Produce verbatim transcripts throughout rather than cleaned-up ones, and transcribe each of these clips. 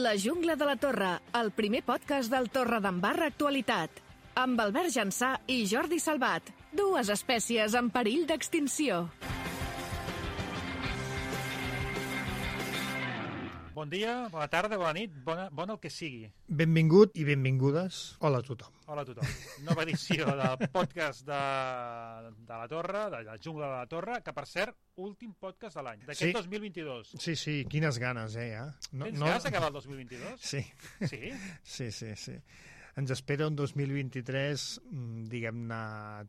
La jungla de la Torre, el primer podcast del Torredembarra Actualitat. Amb Albert Jansà i Jordi Salvat, dues espècies en perill d'extinció. Bon dia, bona tarda, bona nit, bona, bona el que sigui. Benvingut i benvingudes. Hola a tothom. Hola a tothom. Nova edició del podcast de, de la Torre, de la jungla de la Torre, que per cert, últim podcast de l'any, d'aquest Sí. dos mil vint-i-dos. Sí, sí, quines ganes, eh, ja. No, Tens ganes d'acabar el dos mil vint-i-dos? Sí, Sí? sí, sí, sí. Ens espera un dos mil vint-i-tres, mm, diguem-ne,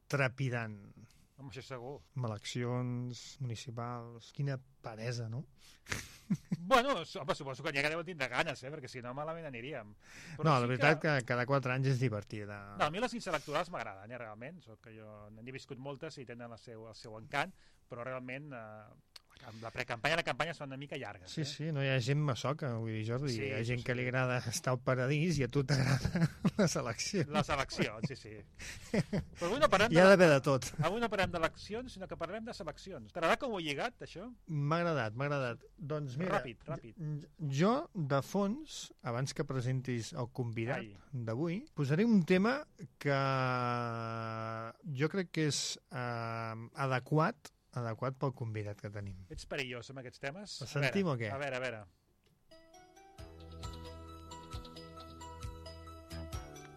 trepidant. Home, això segur. Amb eleccions municipals. Quina peresa, no? Bueno, home, suposo que n'hi ha que deuen tindre ganes, eh? Perquè si no, malament aniríem. Però No, sí la veritat que... que cada quatre anys és divertida. No, a mi les electorals m'agraden, eh, realment. Soc que jo n'he viscut moltes i tenen el seu, el seu encant, però realment eh, la precampanya i la campanya són una mica llargues. Sí, eh? sí, no hi ha gent masoca, vull dir, Jordi. Sí, hi ha gent sí, que sí. li agrada estar al paradís i a tu t'agrada les eleccions. Les eleccions, sí, sí. Però avui no parlem Hi ha de... d'haver de tot. Avui no parlem d'eleccions, sinó que parlem de seleccions. T'agrada com ho he lligat, això? M'ha agradat, m'ha agradat. Doncs mira, Ràpid, ràpid. jo, de fons, abans que presentis el convidat Ai. d'avui, posaré un tema que jo crec que és eh, adequat adequat pel convidat que tenim. Ets perillós amb aquests temes? El sentim a veure, o què? A veure, a veure.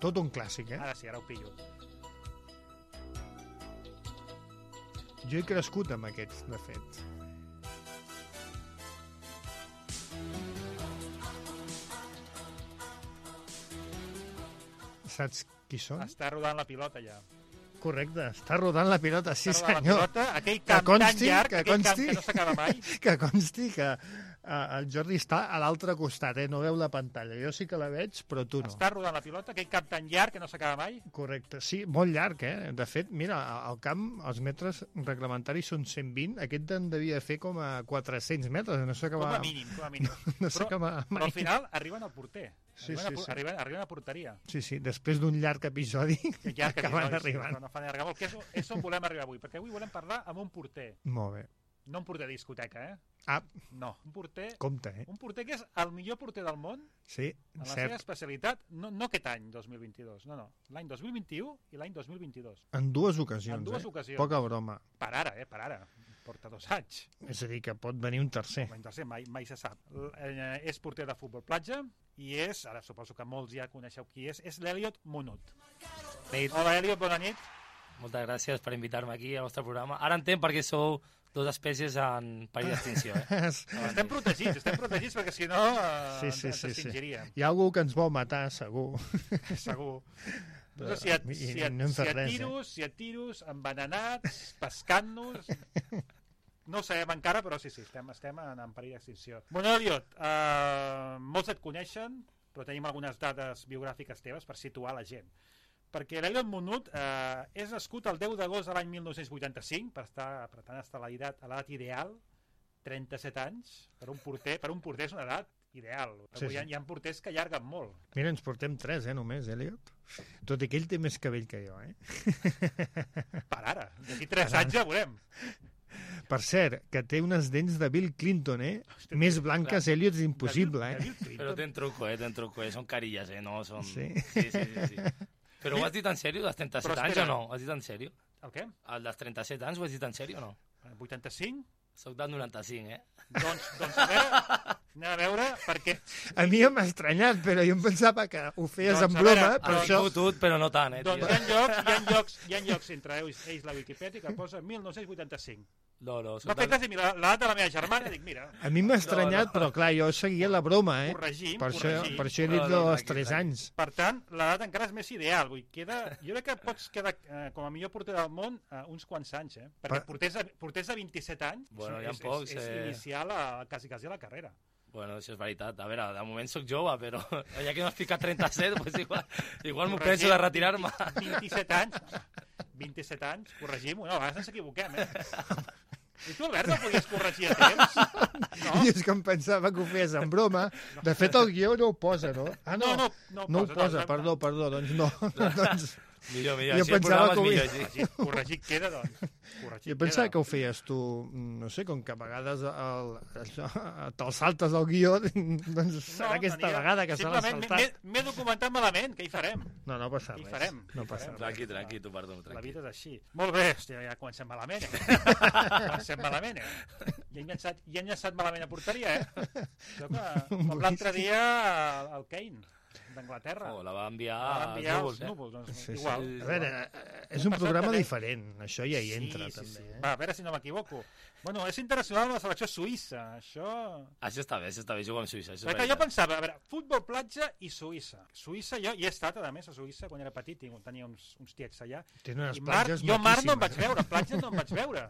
Tot un clàssic, eh? Ara sí, ara ho pillo. Jo he crescut amb aquests, de fet. Saps qui són? Està rodant la pilota ja. Correcte, està rodant la pilota, sí Està rodant senyor. la pilota, aquell Que camp consti, tan llarg, que aquell camp consti. que no s'acaba mai. Que consti que uh, el Jordi està a l'altre costat, eh? No veu la pantalla. Jo sí que la veig, però tu no. Està rodant la pilota, aquell camp tan llarg que no s'acaba mai. Correcte, sí, molt llarg, eh? De fet, mira, al camp els metres reglamentaris són cent vint, aquest en devia fer com a quatre-cents metres, no Com s'acaba... a mínim, com a mínim. No Però, s'acaba però mai. al final arriben al porter. Sí, Arriben, sí, a, sí. arriben, arriben a porteria. Sí, sí, després d'un llarg episodi Que ja que acaben episodis, arribant. però no fan allargar molt, que és, és on volem arribar avui, perquè avui volem parlar amb un porter. Molt bé. No un porter de discoteca, eh? Ah, No, un porter, compte, eh? un porter que és el millor porter del món Sí, en la seva cert. especialitat, no, no aquest any, dos mil vint-i-dos, no, no, l'any dos mil vint-i-u i l'any dos mil vint-i-dos. En dues ocasions, En dues eh? ocasions. Poca broma. Per ara, eh, per ara. Porta dos anys. És a dir, que pot venir un tercer. L'any tercer mai, mai se sap. L eh, és porter de futbol platja i és, ara suposo que molts ja coneixeu qui és, és l'Eliot Munut. Nit. Hola, Eliot, bona nit. Moltes gràcies per invitar-me aquí al vostre programa. Ara entenc per què sou dues espècies en perill d'extinció. Eh? Estem protegits, estem protegits perquè si no eh, Sí, sí, ens sí, sí. extingiríem. Hi ha algú que ens vol matar, segur. Segur. No sé si et, I- si i et, no hem si fet et res, tiros, si et tiros, envenenats, pescant-nos... No ho sabem encara, però sí, sí, estem, estem en, en perill d'extinció. Bueno, Eliot, eh, molts et coneixen, però tenim algunes dades biogràfiques teves per situar la gent. Perquè l'Eliot Munut eh, és nascut el deu d'agost de l'any mil nou-cents vuitanta-cinc, per, estar, per tant estar a l'edat a l'edat ideal, trenta-set anys, per un porter, per un porter és una edat ideal. Sí, Avui sí. hi, ha, hi ha porters que allarguen molt. Mira, ens portem tres, eh, només, Eliot. Tot i que ell té més cabell que jo, eh? Per ara, d'aquí tres anys ja veurem. Per cert, que té unes dents de Bill Clinton, eh? Hosti, Més blanques, Eliot, és impossible, De eh? Bill Clinton. Però ten truco, eh? Ten truco, eh? Són carilles, eh? No, són... Sí. Sí, sí, sí. sí. Però ho has dit en sèrio, dels trenta-set Però anys espera. o no? Ho has dit en sèrio? El què? El dels trenta-set anys ho has dit en sèrio o no? vuitanta-cinc? Soc del noranta-cinc, eh? Doncs, doncs a veure, anem a veure, perquè... A mi m'ha estranyat, però jo em pensava que ho feies Doncs, en a broma, veure, per Has això... fotut, però no tant, eh, Doncs tio? hi ha llocs, hi ha llocs, hi ha llocs entre ells, ells la Wikipedia que posa mil nou-cents vuitanta-cinc. No, no, Va soc fer del... cas de mi l'edat de la meva germana, dic, mira, A mi m'ha estranyat, No, no. però clar, jo seguia la broma, eh? corregim, Per això, corregim. per això he No, dit no, dels tranquil, tres tranquil. anys. Per tant, l'edat encara és més ideal. Vull, queda, jo crec que pots quedar eh, com a millor porter del món eh, uns quants anys, eh? Perquè Per- porters de, porters de vint-i-set anys Bueno, és, hi ha és, pocs, és, és eh. iniciar la, quasi, quasi la carrera. Bueno, això és veritat. A veure, de moment sóc jove, però ja que m'has ficat trenta-set, pues igual, igual m'ho Corregim, penso de retirar-me. vint-i-set anys, vint-i-set anys, corregim-ho. No, a vegades ens equivoquem, eh? I tu, Albert, no podies corregir a temps? No? I és que em pensava que ho feies en broma. De fet, el guió no ho posa, no? Ah, No, no, no, no, no ho posa, posa, no, perdó, perdó, doncs no. Doncs Millor, millor. Jo Així el pensava programa és que ho- millor, sí. Corregit, corregit queda, doncs. Corregit Jo pensava queda. que ho feies tu, no sé, com que a vegades el, això, te'l saltes al guió, doncs serà aquesta tenia- vegada que se l'ha simplement saltat. m'he- M'he documentat malament, què hi farem? No, no passa Què hi res. farem? No Què hi passa farem? res. Tranqui, tranqui, tu perdono, La tranqui. vida és així. Molt bé, hòstia, ja comencem malament, eh? comencem malament, eh? Ja hem llançat, ja hem llançat malament a porteria, eh? Això que, com l'altre dia el Kane, d'Anglaterra. Oh, la va enviar, Va als enviar núvols, als eh? núvols, doncs, Sí, sí. igual. A veure, eh, és Hem un passat programa també- diferent, això ja hi entra, sí, sí, també. sí. Eh? Va, a veure si no m'equivoco. Bueno, és internacional la selecció suïssa, això... Això està bé, això està bé, jugar amb Suïssa. Això és Perquè jo veritat. pensava, a veure, futbol platja i Suïssa. Suïssa, jo hi he estat, a més, a Suïssa, quan era petit, tinc- tenia uns, uns tiets allà. Tenen unes I mar, platges jo mar no em vaig maquíssimes. veure, platja no em vaig veure.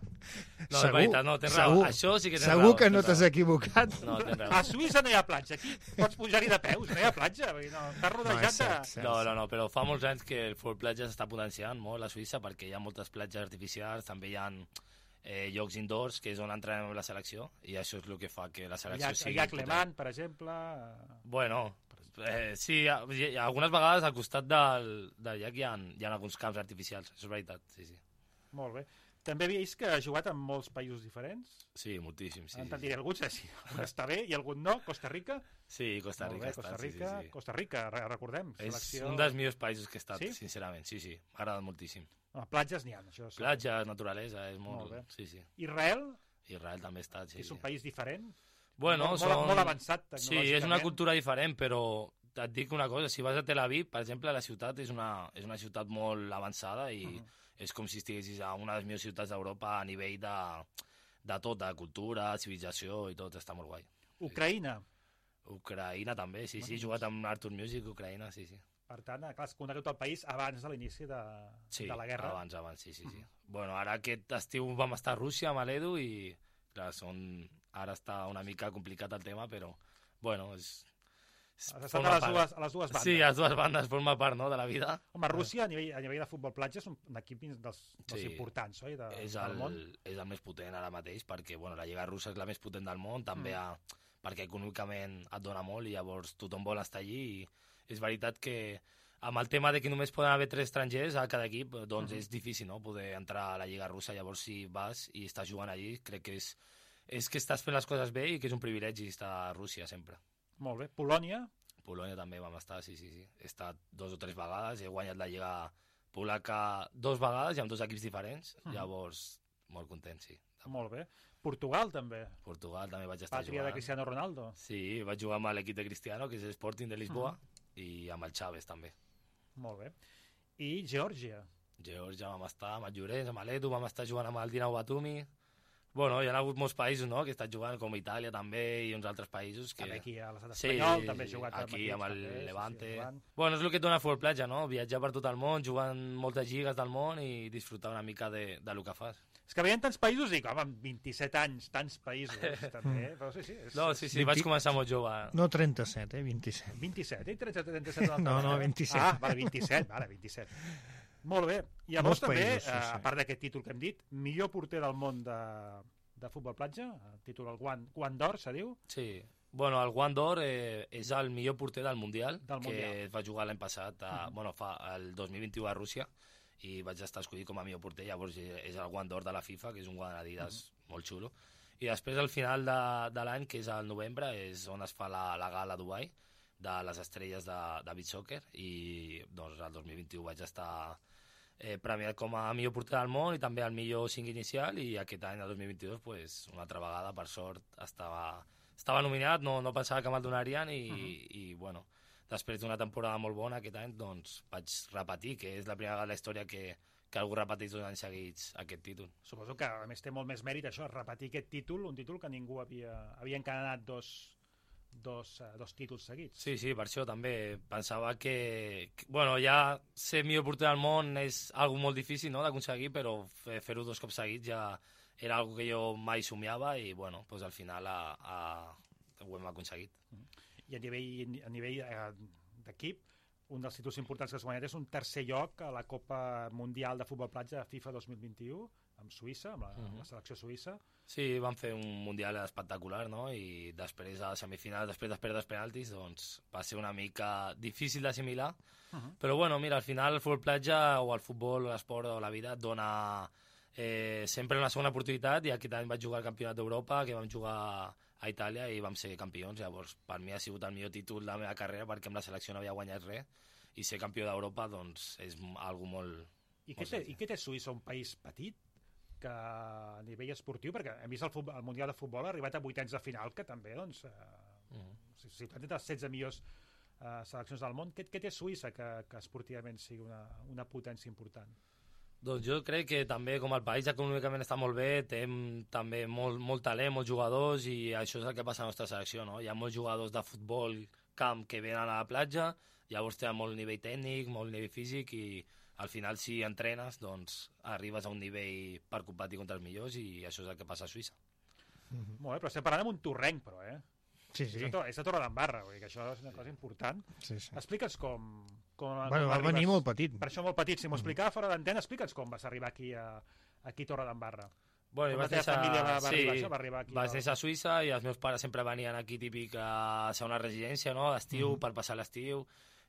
No, és veritat, no, tens raó. segur, Això sí que tens segur raó, que no tens t'has raó. equivocat. No, tens raó. A Suïssa no hi ha platja, aquí pots pujar-hi de peus, no hi ha platja, vull dir, no, estàs No, rodejat és cert, de... cert, No, cert. no, no, però fa molts anys que el futbol platja s'està potenciant molt a Suïssa perquè hi ha moltes platges artificials, també hi ha eh, llocs indoors que és on entrenem amb la selecció i això és el que fa que la El selecció llac, el sigui llac potent. Lemant, per exemple... eh, Bueno, eh, sí, hi ha, hi ha, algunes vegades al costat del, del llac hi ha, hi ha alguns camps artificials, això és veritat, sí, sí. Molt bé. També havia vist que ha jugat en molts països diferents. Sí, moltíssim, sí. En Sí, te'n sí. diré algun, sí, algun està bé i algun no. Costa Rica? Sí, Costa Molt Rica bé, està, Costa sí, Rica, sí, sí. Costa Rica, re- recordem. És Selecció... un dels millors països que he estat, Sí? sincerament, sí, sí, m'ha agradat moltíssim. No, platges n'hi ha, això. sí. Platges, naturalesa, és molt... Molt bé. Sí, sí. Israel, Israel també ha estat, que sí, és un sí. país diferent. Bueno, molt, són... molt, molt avançat Sí, tecnològicament. és una cultura diferent, però et dic una cosa, si vas a Tel Aviv, per exemple, la ciutat és una, és una ciutat molt avançada i uh -huh. és com si estiguessis a una de les millors ciutats d'Europa a nivell de, de tot, de cultura, civilització i tot, està molt guai. Ucraïna. Ucraïna també, sí, sí, he jugat amb Artur Music, Ucraïna, sí, sí. Per tant, clar, has conegut el país abans de l'inici de, Sí, de la guerra. abans, abans, sí, sí, sí. Bueno, ara aquest estiu vam estar a Rússia amb l'Edu i, clar, són... ara està una mica complicat el tema, però, bueno, és... és Has estat forma a les, part. dues, a les dues bandes. Sí, a les dues bandes forma part, no?, de la vida. Home, Rússia, a nivell, a nivell de futbol platja, és un, un equip dels, dels Sí. importants, oi, de, és del el, món. és el més potent ara mateix perquè bueno, la Lliga Russa és la més potent del món, també Mm. a, perquè econòmicament et dona molt i llavors tothom vol estar allí i és veritat que amb el tema de que només poden haver tres estrangers a cada equip, doncs Mhm. és difícil, no?, poder entrar a la Lliga Russa. Llavors si vas i estàs jugant allí, crec que és, és que estàs fent les coses bé i que és un privilegi estar a Rússia sempre. Molt bé. Polònia, Polònia també vam estar, sí, sí, sí. He estat dos o tres vegades, he guanyat la Lliga Polaca dos vegades i amb dos equips diferents, Mhm. llavors molt content, sí. molt bé. Portugal, també. Portugal també vaig estar Pàtria jugant. de Cristiano Ronaldo. Sí, vaig jugar amb l'equip de Cristiano, que és l'Sporting de Lisboa, i amb el Chaves també. Molt bé. I Geòrgia. Geòrgia vam estar amb el Llorenç, amb l'Edu, vam estar jugant amb el Dinamo Batumi. Bueno, hi ha hagut molts països, no?, que he estat jugant, com Itàlia també, i uns altres països que... També aquí a l'estat Sí, espanyol, també he jugat aquí amb el equips, també, Levante. Sí, sí, Levant. Bueno, és el que et dona futbol platja, no?, viatjar per tot el món, jugar en moltes lligues del món i disfrutar una mica de, de lo que fas. És que veien tants països i dic, home, amb vint-i-set anys, tants països, també, però sí, sí. És, No, sí, sí, vint- vaig començar molt jove. No trenta-set, eh? vint-i-set. vint-i-set, eh? trenta, trenta-set una altra No, no, vegada. vint-i-set. Ah, vale, vint-i-set, vale, vint-i-set. Molt bé. I llavors Molts també, països, sí, eh, sí. a part d'aquest títol que hem dit, millor porter del món de, de futbol platja, el títol el Guant, Guant d'Or, se diu? Sí. Bueno, el Guant d'Or eh, és el millor porter del Mundial, Del que Mundial. es va jugar l'any passat, a, Mhm. bueno, fa el dos mil vint-u a Rússia, i vaig estar escollit com a millor porter, llavors eh, és el Guant d'Or de la FIFA, que és un guant Adidas molt xulo. I després, al final de, de l'any, que és al novembre, és on es fa la, la gala a Dubai, de les estrelles de, de beach soccer, i doncs el dos mil vint-u vaig estar eh, premiat com a millor porter del món i també el millor cinc inicial, i aquest any, el dos mil vint-dos, pues, una altra vegada, per sort, estava, estava nominat, no, no pensava que me'l donarien i, uh -huh. i, bueno, després d'una temporada molt bona aquest any, doncs vaig repetir, que és la primera vegada de la història que, que algú repeteix dos anys seguits aquest títol. Suposo que, a més, té molt més mèrit això, repetir aquest títol, un títol que ningú havia... Havia encadenat dos, dos, uh, dos títols seguits. Sí, sí, per això també pensava que, que bueno, ja ser millor porter del món és algo molt difícil, no?, d'aconseguir, però fer- fer-ho dos cops seguits ja era algo que jo mai somiava i, bueno, doncs al final a, a, ho hem aconseguit. I a nivell, a nivell eh, d'equip, un dels títols importants que has guanyat és un tercer lloc a la Copa Mundial de Futbol Platja de FIFA dos mil vint-i-u, amb Suïssa, amb la, uh -huh. amb la selecció suïssa. Sí, van fer un Mundial espectacular, no? I després a la semifinal, després de perdre els penaltis, doncs va ser una mica difícil d'assimilar. Uh -huh. Però bueno, mira, al final el futbol platja o el futbol o l'esport o la vida et dona eh, sempre una segona oportunitat, i aquest any vaig jugar al Campionat d'Europa, que vam jugar a Itàlia i vam ser campions. Llavors, per mi ha sigut el millor títol de la meva carrera, perquè amb la selecció no havia guanyat res, i ser campió d'Europa doncs és algo molt... I què té, i què té Suïssa, un país petit, que a nivell esportiu, perquè hem vist el, futbol, el Mundial de Futbol ha arribat a vuitens de final, que també, doncs, eh, uh -huh. si, si planten les setze millors eh, seleccions del món, què, què té Suïssa que, que esportivament sigui una, una potència important? Doncs jo crec que també, com el país econòmicament està molt bé, té també molt, molt talent, molts jugadors, i això és el que passa a la nostra selecció, no? Hi ha molts jugadors de futbol camp que venen a la platja, llavors té molt nivell tècnic, molt nivell físic, i al final, si entrenes, doncs arribes a un nivell per competir contra els millors, i això és el que passa a Suïssa. Mm-hmm. Molt bé, però estem parlant amb un torrenc, però, eh? Sí, sí. És a, és a Torredembarra, vull dir que això és una cosa important. Sí, sí. Explica'ns com... com bueno, com va arribes... venir molt petit. Per això molt petit. Si m'ho explicava fora d'antena, explica'ns com vas arribar aquí a, aquí a Torredembarra. Bueno, com la teva néixer... família va, va, sí, arribar, això, va arribar aquí? Vaig a... néixer a Suïssa, i els meus pares sempre venien aquí típic a ser una residència, no?, d'estiu, mm. per passar l'estiu,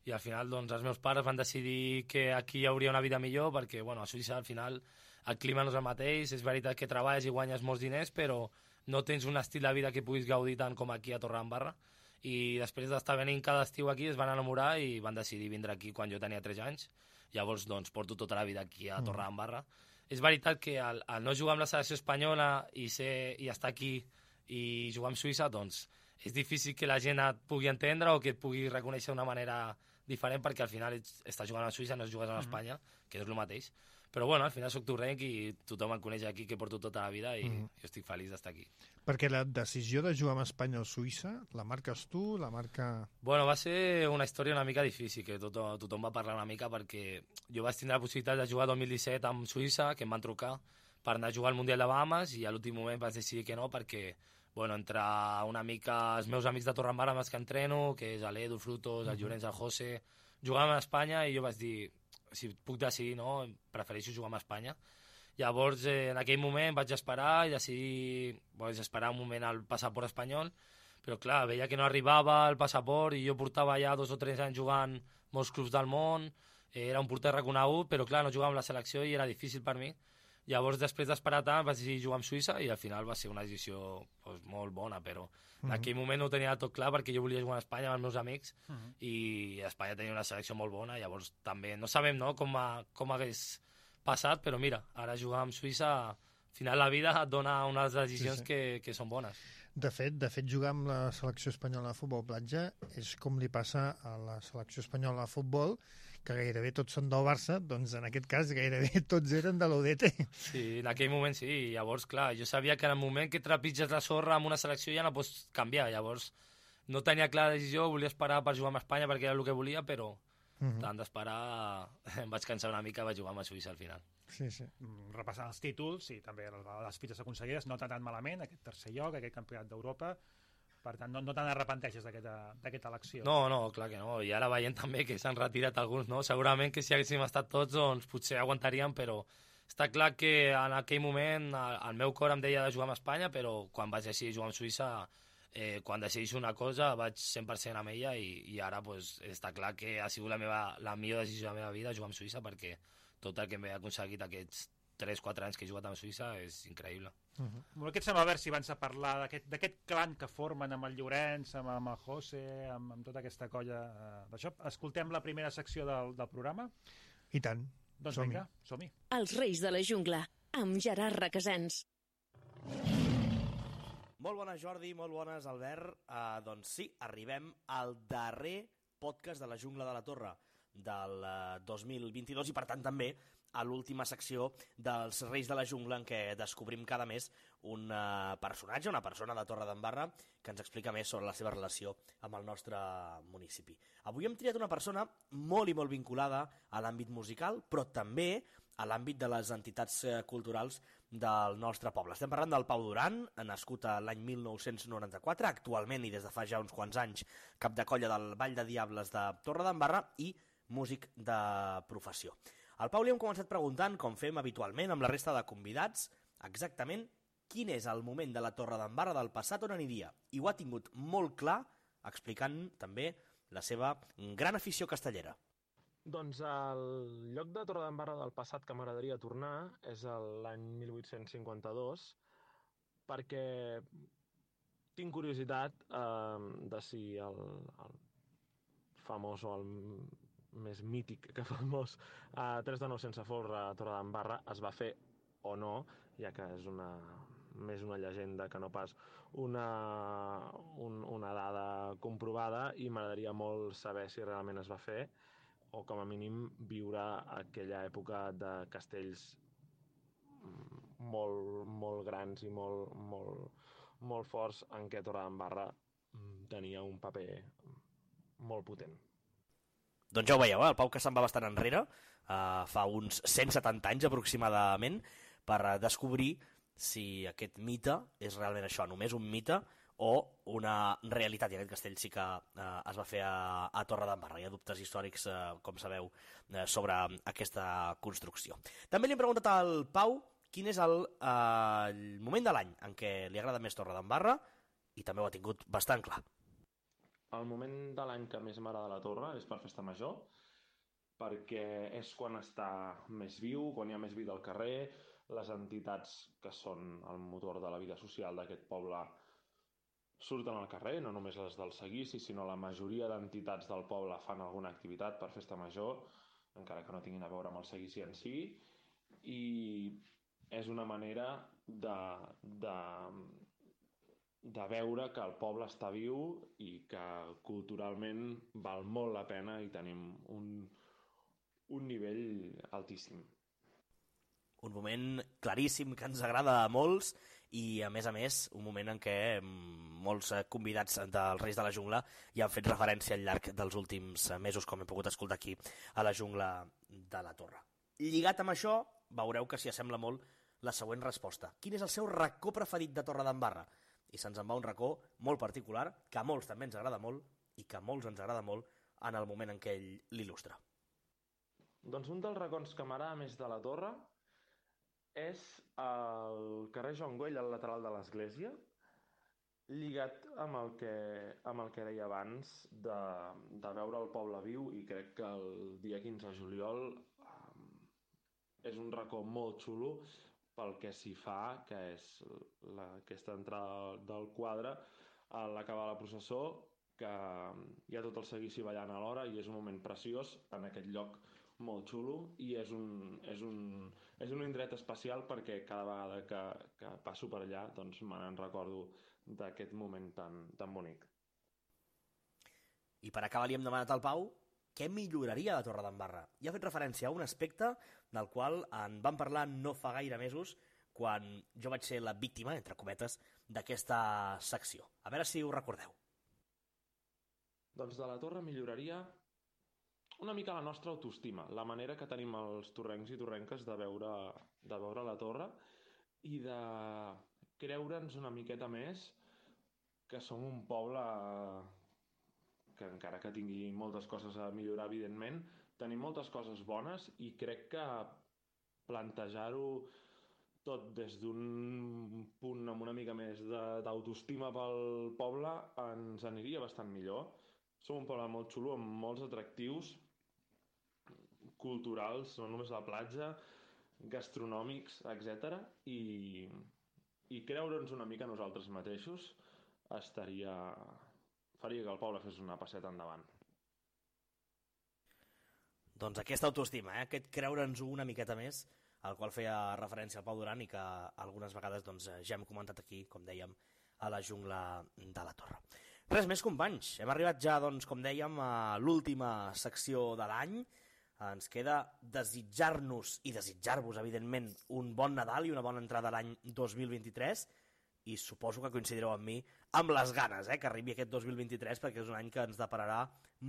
i al final doncs, els meus pares van decidir que aquí hi hauria una vida millor, perquè bueno, a Suïssa al final el clima no és el mateix, és veritat que treballes i guanyes molts diners, però no tens un estil de vida que puguis gaudir tant com aquí a Torredembarra, i després d'estar venint cada estiu aquí es van enamorar i van decidir vindre aquí quan jo tenia tres anys. Llavors doncs, porto tota la vida aquí a Torredembarra. Mm. És veritat que al, al no jugar amb la selecció espanyola i, ser, i estar aquí i jugar amb Suïssa, doncs és difícil que la gent et pugui entendre o que et pugui reconèixer d'una manera diferent, perquè al final estàs jugant a Suïssa, no jugues a Espanya, mm. que és el mateix. Però bueno, al final soc torrenc i tothom em coneix aquí, que porto tota la vida, i mm. jo estic feliç d'estar aquí. Perquè la decisió de jugar amb Espanya o Suïssa, la marques tu, la marca... Bueno, va ser una història una mica difícil, que tothom, tothom va parlar una mica, perquè jo vaig tindre la possibilitat de jugar el dos mil disset amb Suïssa, que em van trucar per anar a jugar al Mundial de Bahamas, i a l'últim moment vaig decidir que no, perquè bueno, entre una mica els meus amics de Torredembarra amb els que entreno, que és l'Edu, Frutos, el Llorenç, el José, jugàvem a Espanya, i jo vaig dir, si puc decidir, no, prefereixo jugar amb Espanya. Llavors, eh, en aquell moment vaig esperar i decidir, vaig esperar un moment al passaport espanyol, però clar, veia que no arribava el passaport, i jo portava ja dos o tres anys jugant molts clubs del món, eh, era un porter reconegut, però clar, no jugava amb la selecció i era difícil per mi. Llavors, després d'esperar tant, vaig decidir jugar amb Suïssa, i al final va ser una decisió pues, molt bona, però en aquell moment no ho tenia tot clar, perquè jo volia jugar a Espanya amb els meus amics, uh -huh. i Espanya tenia una selecció molt bona. Llavors també no sabem, no, com, a, com hagués passat, però mira, ara jugar amb Suïssa, al final la vida et dona unes decisions sí, sí. Que, que són bones. De fet, de fet, jugar amb la selecció espanyola de futbol platja és com li passa a la selecció espanyola de futbol, que gairebé tots són del Barça, doncs en aquest cas gairebé tots eren de l'O D T. Sí, en aquell moment sí. Llavors, clar, jo sabia que en el moment que trepitges la sorra amb una selecció ja no pots canviar. Llavors, no tenia clara decisió, volia esperar per jugar amb Espanya perquè era el que volia, però uh -huh. tant d'esperar em vaig cansar una mica i vaig jugar amb Suïssa al final. Sí, sí. Repassant els títols i també les fites aconseguides, no tan malament, aquest tercer lloc, aquest campionat d'Europa. Per tant, no, no te n'arrepenteixes d'aquesta elecció. No, no, clar que no. I ara veient també que s'han retirat alguns, no? Segurament que si haguéssim estat tots, doncs potser aguantaríem, però està clar que en aquell moment el, el meu cor em deia de jugar amb Espanya, però quan vaig decidir jugar amb Suïssa, eh, quan decideixo una cosa vaig cent per cent amb ella, i, i ara pues, està clar que ha sigut la, meva, la millor decisió de la meva vida jugar amb Suïssa, perquè tot el que m'he aconseguit aquests tres quatre anys que he jugat amb Suïssa és increïble. Uh -huh. Què et sembla, a veure si abans de parlar d'aquest clan que formen amb el Llorenç, amb, amb el José, amb, amb tota aquesta colla uh, d'això, escoltem la primera secció del, del programa? I tant. Doncs som-hi. vinga, som-hi. Els Reis de la Jungla, amb Gerard Requesens. Molt bones, Jordi, molt bones, Albert. Uh, doncs sí, arribem al darrer podcast de la Jungla de la Torre del uh, dos mil vint-i-dos, i per tant també a l'última secció dels Reis de la Jungla, en què descobrim cada mes un uh, personatge, una persona de Torredembarra, que ens explica més sobre la seva relació amb el nostre municipi. Avui hem triat una persona molt i molt vinculada a l'àmbit musical, però també a l'àmbit de les entitats culturals del nostre poble. Estem parlant del Pau Duran, nascut a l'any mil nou-cents noranta-quatre, actualment i des de fa ja uns quants anys cap de colla del Ball de Diables de Torredembarra i músic de professió. Al Pau li hem començat preguntant, com fem habitualment amb la resta de convidats, exactament quin és el moment de la Torredembarra del passat on aniria. I ho ha tingut molt clar, explicant també la seva gran afició castellera. Doncs el lloc de Torredembarra del passat que m'agradaria tornar és l'any mil vuit-cents cinquanta-dos, perquè tinc curiositat eh, de si el, el famós o el més mític que famós eh, tres de nou sense folre a Torredembarra es va fer o no, ja que és una, més una llegenda que no pas una, un, una dada comprovada, i m'agradaria molt saber si realment es va fer, o com a mínim viure aquella època de castells molt, molt grans i molt, molt, molt forts en què Torredembarra tenia un paper molt potent. Doncs ja ho veieu, eh? El Pau que se'n va bastant enrere, uh, fa uns cent setanta anys aproximadament, per descobrir si aquest mite és realment això, només un mite o una realitat, i aquest castell sí que eh, es va fer a, a Torredembarra. Hi ha dubtes històrics, eh, com sabeu, eh, sobre aquesta construcció. També li hem preguntat al Pau quin és el, eh, el moment de l'any en què li agrada més Torredembarra, i també ho ha tingut bastant clar. El moment de l'any que més m'agrada la Torre és per Festa Major, perquè és quan està més viu, quan hi ha més vida al carrer, les entitats que són el motor de la vida social d'aquest poble surten al carrer, no només les del seguici, sinó la majoria d'entitats del poble fan alguna activitat per Festa Major, encara que no tinguin a veure amb el seguici en si, i és una manera de, de, de veure que el poble està viu i que culturalment val molt la pena i tenim un, un nivell altíssim. Un moment claríssim que ens agrada a molts i, a més a més, un moment en què molts convidats dels Reis de la Jungla ja han fet referència al llarg dels últims mesos, com hem pogut escoltar aquí a la Jungla de la Torre. Lligat amb això, veureu que s'hi assembla molt la següent resposta. Quin és el seu racó preferit de Torredembarra? I se'ns en va un racó molt particular, que a molts també ens agrada molt i que a molts ens agrada molt en el moment en què ell l'il·lustra. Doncs un dels racons que m'agrada més de la Torre és el carrer Joan Güell, al lateral de l'església, lligat amb el que, amb el que deia abans de, de veure el poble viu, i crec que el dia quinze de juliol um, és un racó molt xulo pel que s'hi fa, que és la, aquesta entrada del quadre a l'acabar la processó, que hi ha tot el seguici ballant alhora i és un moment preciós en aquest lloc molt xulo, i és un, és un, és un indret especial perquè cada vegada que, que passo per allà doncs me n'en recordo d'aquest moment tan, tan bonic. I per acabar li hem demanat al Pau què milloraria de Torredembarra. I ha fet referència a un aspecte del qual en vam parlar no fa gaire mesos, quan jo vaig ser la víctima, entre cometes, d'aquesta secció. A veure si ho recordeu. Doncs de la Torre milloraria una mica la nostra autoestima, la manera que tenim els torrencs i torrenques de veure, de veure la Torre i de creure'ns una miqueta més que som un poble que, encara que tingui moltes coses a millorar, evidentment, tenim moltes coses bones, i crec que plantejar-ho tot des d'un punt amb una mica més d'autoestima pel poble ens aniria bastant millor. Som un poble molt xulo, amb molts atractius culturals, no només la platja, gastronòmics, etcètera. I, i creure'ns una mica nosaltres mateixos estaria, faria que el poble fes una passeta endavant. Doncs aquesta autoestima, eh? Aquest creure'ns una miqueta més, al qual feia referència al Pau Duran i que algunes vegades doncs, ja hem comentat aquí, com dèiem, a la Jungla de la Torre. Res més, companys. Hem arribat ja, doncs, com dèiem, a l'última secció de l'any. Ens queda desitjar-nos i desitjar-vos, evidentment, un bon Nadal i una bona entrada a l'any dos mil vint-i-tres, i suposo que coincidireu amb mi amb les ganes eh, que arribi aquest dos mil vint-i-tres, perquè és un any que ens depararà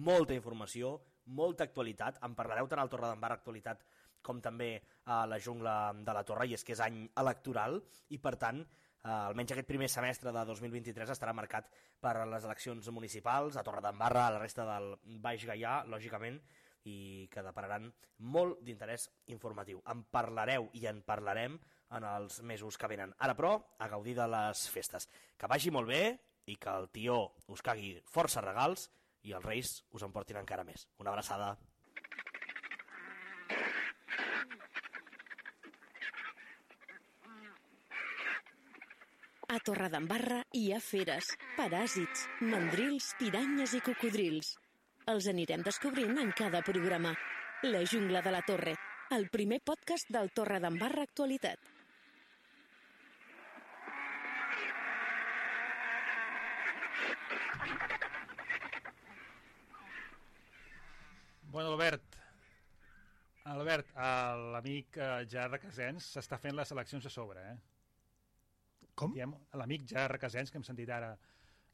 molta informació, molta actualitat. En parlareu tant al Torredembarra Actualitat com també a la jungla de la Torre, i és que és any electoral i, per tant, eh, almenys aquest primer semestre de dos mil vint-i-tres estarà marcat per les eleccions municipals a Torredembarra, a la resta del Baix Gaià, lògicament, i que depararan molt d'interès informatiu. En parlareu i en parlarem en els mesos que venen. Ara, però, a gaudir de les festes. Que vagi molt bé i que el tió us cagui força regals i els reis us en portin encara més. Una abraçada. A Torredembarra hi ha feres, paràsits, mandrils, piranyes i cocodrils. Els anirem descobrint en cada programa. La jungla de la Torre, el primer podcast del Torredembarra Actualitat. Bueno, Albert, Albert, l'amic Gerard Requesens s'està fent les eleccions a sobre, eh? Com? L'amic Gerard Requesens, que hem sentit ara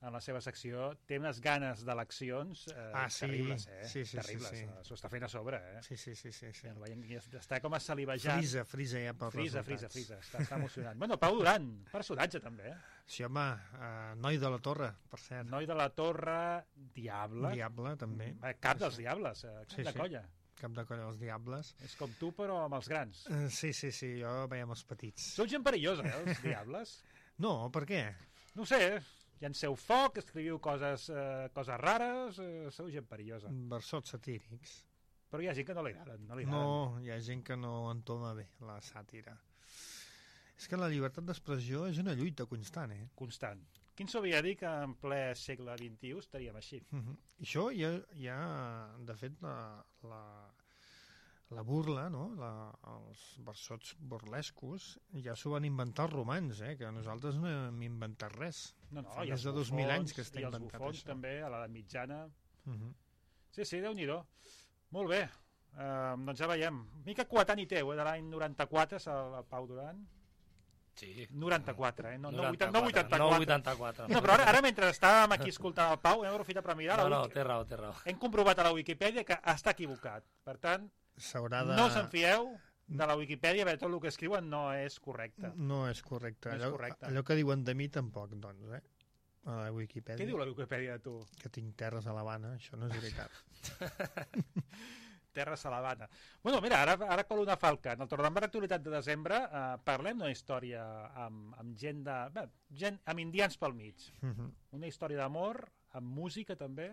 en la seva secció, té unes ganes d'eleccions eh, ah, sí. terribles, eh? Sí, sí, terribles. Sí, sí. S'ho està fent a sobre, eh? Sí, sí, sí. sí, sí. Ja, veiem, ja està com a salivejant. Frisa, frisa ja pels frisa, resultats. Frisa, frisa, està, està emocionant. Bueno, Pau Duran, personatge també, eh? Sí, home, uh, noi de la Torre, per cert. Noi de la Torre, Diable. Diable, també. Eh, cap dels Diables, eh, cap sí, de sí. colla. Cap de colla dels Diables. És com tu, però amb els grans. Uh, sí, sí, sí, jo veiem els petits. Sou gent perillosa, eh, els Diables? No, per què? No ho sé, llanceu foc, escriviu coses, eh, coses rares, eh, sou gent perillosa. Versots satírics. Però hi ha gent que no li agraden. No, li no, agraden. hi ha gent que no entoma bé la sàtira. És que la llibertat d'expressió és una lluita constant, eh? Constant. Quin s'hauria de dir que en ple segle vint-i-u estaríem així? Uh -huh. I això hi ha, hi ha de fet, la, la, la burla, no? La, els versots burlescos, ja s'ho van inventar els romans, eh? Que nosaltres no hem inventat res. No, no, Fa i més els de dos mil bufons, anys que està i els inventat bufons això. també, a l'edat mitjana. Uh -huh. Sí, sí, Déu-n'hi-do. Molt bé. Uh, doncs ja veiem. Mica coetani i teu, eh? De l'any noranta-quatre, és el, el Pau Duran. Sí. noranta-quatre, eh? No, noranta-quatre. no vuitanta-quatre. No vuitanta-quatre. No, però ara, ara mentre estàvem aquí escoltant el Pau, hem aprofitat per mirar. No, la no, Wiki... té raó, té raó. Hem comprovat a la Wikipedia que està equivocat. Per tant, s'haurà de... no us en fieu de la Wikipedia, perquè tot el que escriuen no és correcte. No és correcte. No és allò, correcte. allò que diuen de mi tampoc, doncs, eh? A la Wikipedia. Què diu la Wikipedia de tu? Que tinc terres a l'Havana, això no és veritat. Terres a l'Havana. Bueno, mira, ara, ara colo una falca. En el Torredembarra Actualitat de desembre eh, parlem d'una història amb, amb gent de... Bé, gent, amb indians pel mig. Uh -huh. Una història d'amor, amb música també,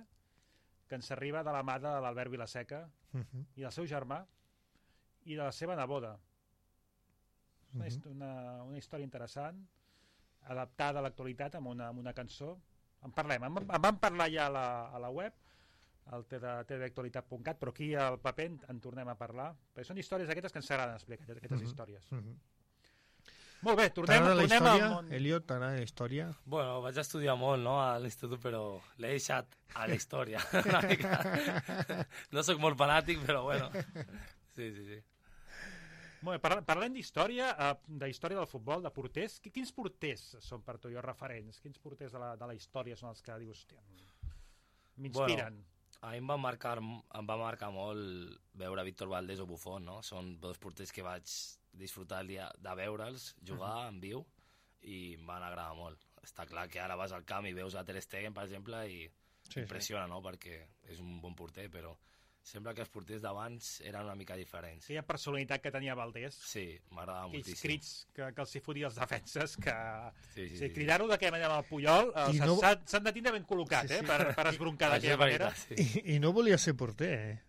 que ens arriba de la mà de l'Albert Vilaseca Uh -huh. i del seu germà i de la seva neboda. Una, Uh -huh. una, una història interessant, adaptada a l'actualitat amb una, amb una cançó. En parlem, en, en vam parlar ja a la, a la web, al t v actualitat punt cat, però aquí al paper en, en tornem a parlar, perquè són històries aquestes que ens agraden explicar, aquestes uh -huh. històries. Uh -huh. Molt bé, tornem, T'agrada la tornem història, al món. Eliot, t'agrada la història? Bueno, vaig estudiar molt, no?, a l'institut, però l'he deixat a la història. Una mica. No sóc molt fanàtic, però bueno. Sí, sí, sí. Molt bé, parla, parlem d'història, uh, d'història del futbol, de porters. Quins porters són per tu jo referents? Quins porters de la, de la història són els que dius, hòstia, m'inspiren? Bueno, a mi em va marcar, em va marcar molt veure Víctor Valdés o Buffon, no? Són dos porters que vaig disfrutar el dia de veure'ls jugar en viu i em van agradar molt. Està clar que ara vas al camp i veus a Ter Stegen, per exemple, i Sí, impressiona, no?, perquè és un bon porter, però sembla que els porters d'abans eren una mica diferents. Aquella personalitat que tenia Valdés, Sí, m'agradava aquells moltíssim. crits que, que els hi fotia els defenses, que Sí, sí, o sigui, sí. cridar-ho d'aquella manera amb el Puyol, eh, I s'han no- no... de tindre ben col·locat, Sí, eh, sí. per, per esbroncar Això d'aquella és manera. veritat, sí. I, I no volia ser porter, eh?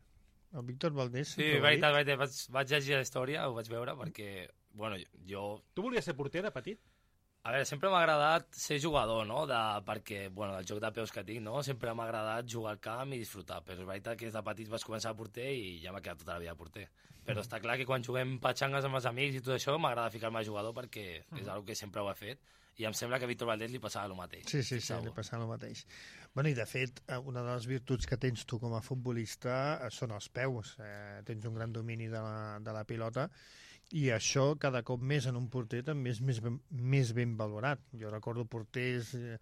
El Víctor Valdés Sí, sempre ho ha veritat, dit. veritat. Vaig, vaig llegir la història, ho vaig veure, perquè, bueno, jo... Tu volies ser porter de petit? A veure, sempre m'ha agradat ser jugador, no?, de, perquè, bueno, el joc de peus que tinc, no?, sempre m'ha agradat jugar al camp i disfrutar, però és veritat que des de petit vaig començar a porter i ja m'ha quedat tota la vida a porter. Però està clar que quan juguem patxangues amb els amics i tot això, m'agrada ficar-me a jugador perquè és una que sempre ho he fet i em sembla que a Víctor Valdés li passava el mateix. Sí, sí, sí, Segur. li passava el mateix. Bueno, i de fet, eh, una de les virtuts que tens tu com a futbolista eh, són els peus. Eh, tens un gran domini de la, de la pilota i això cada cop més en un porter també és més ben, més ben valorat. Jo recordo porters eh,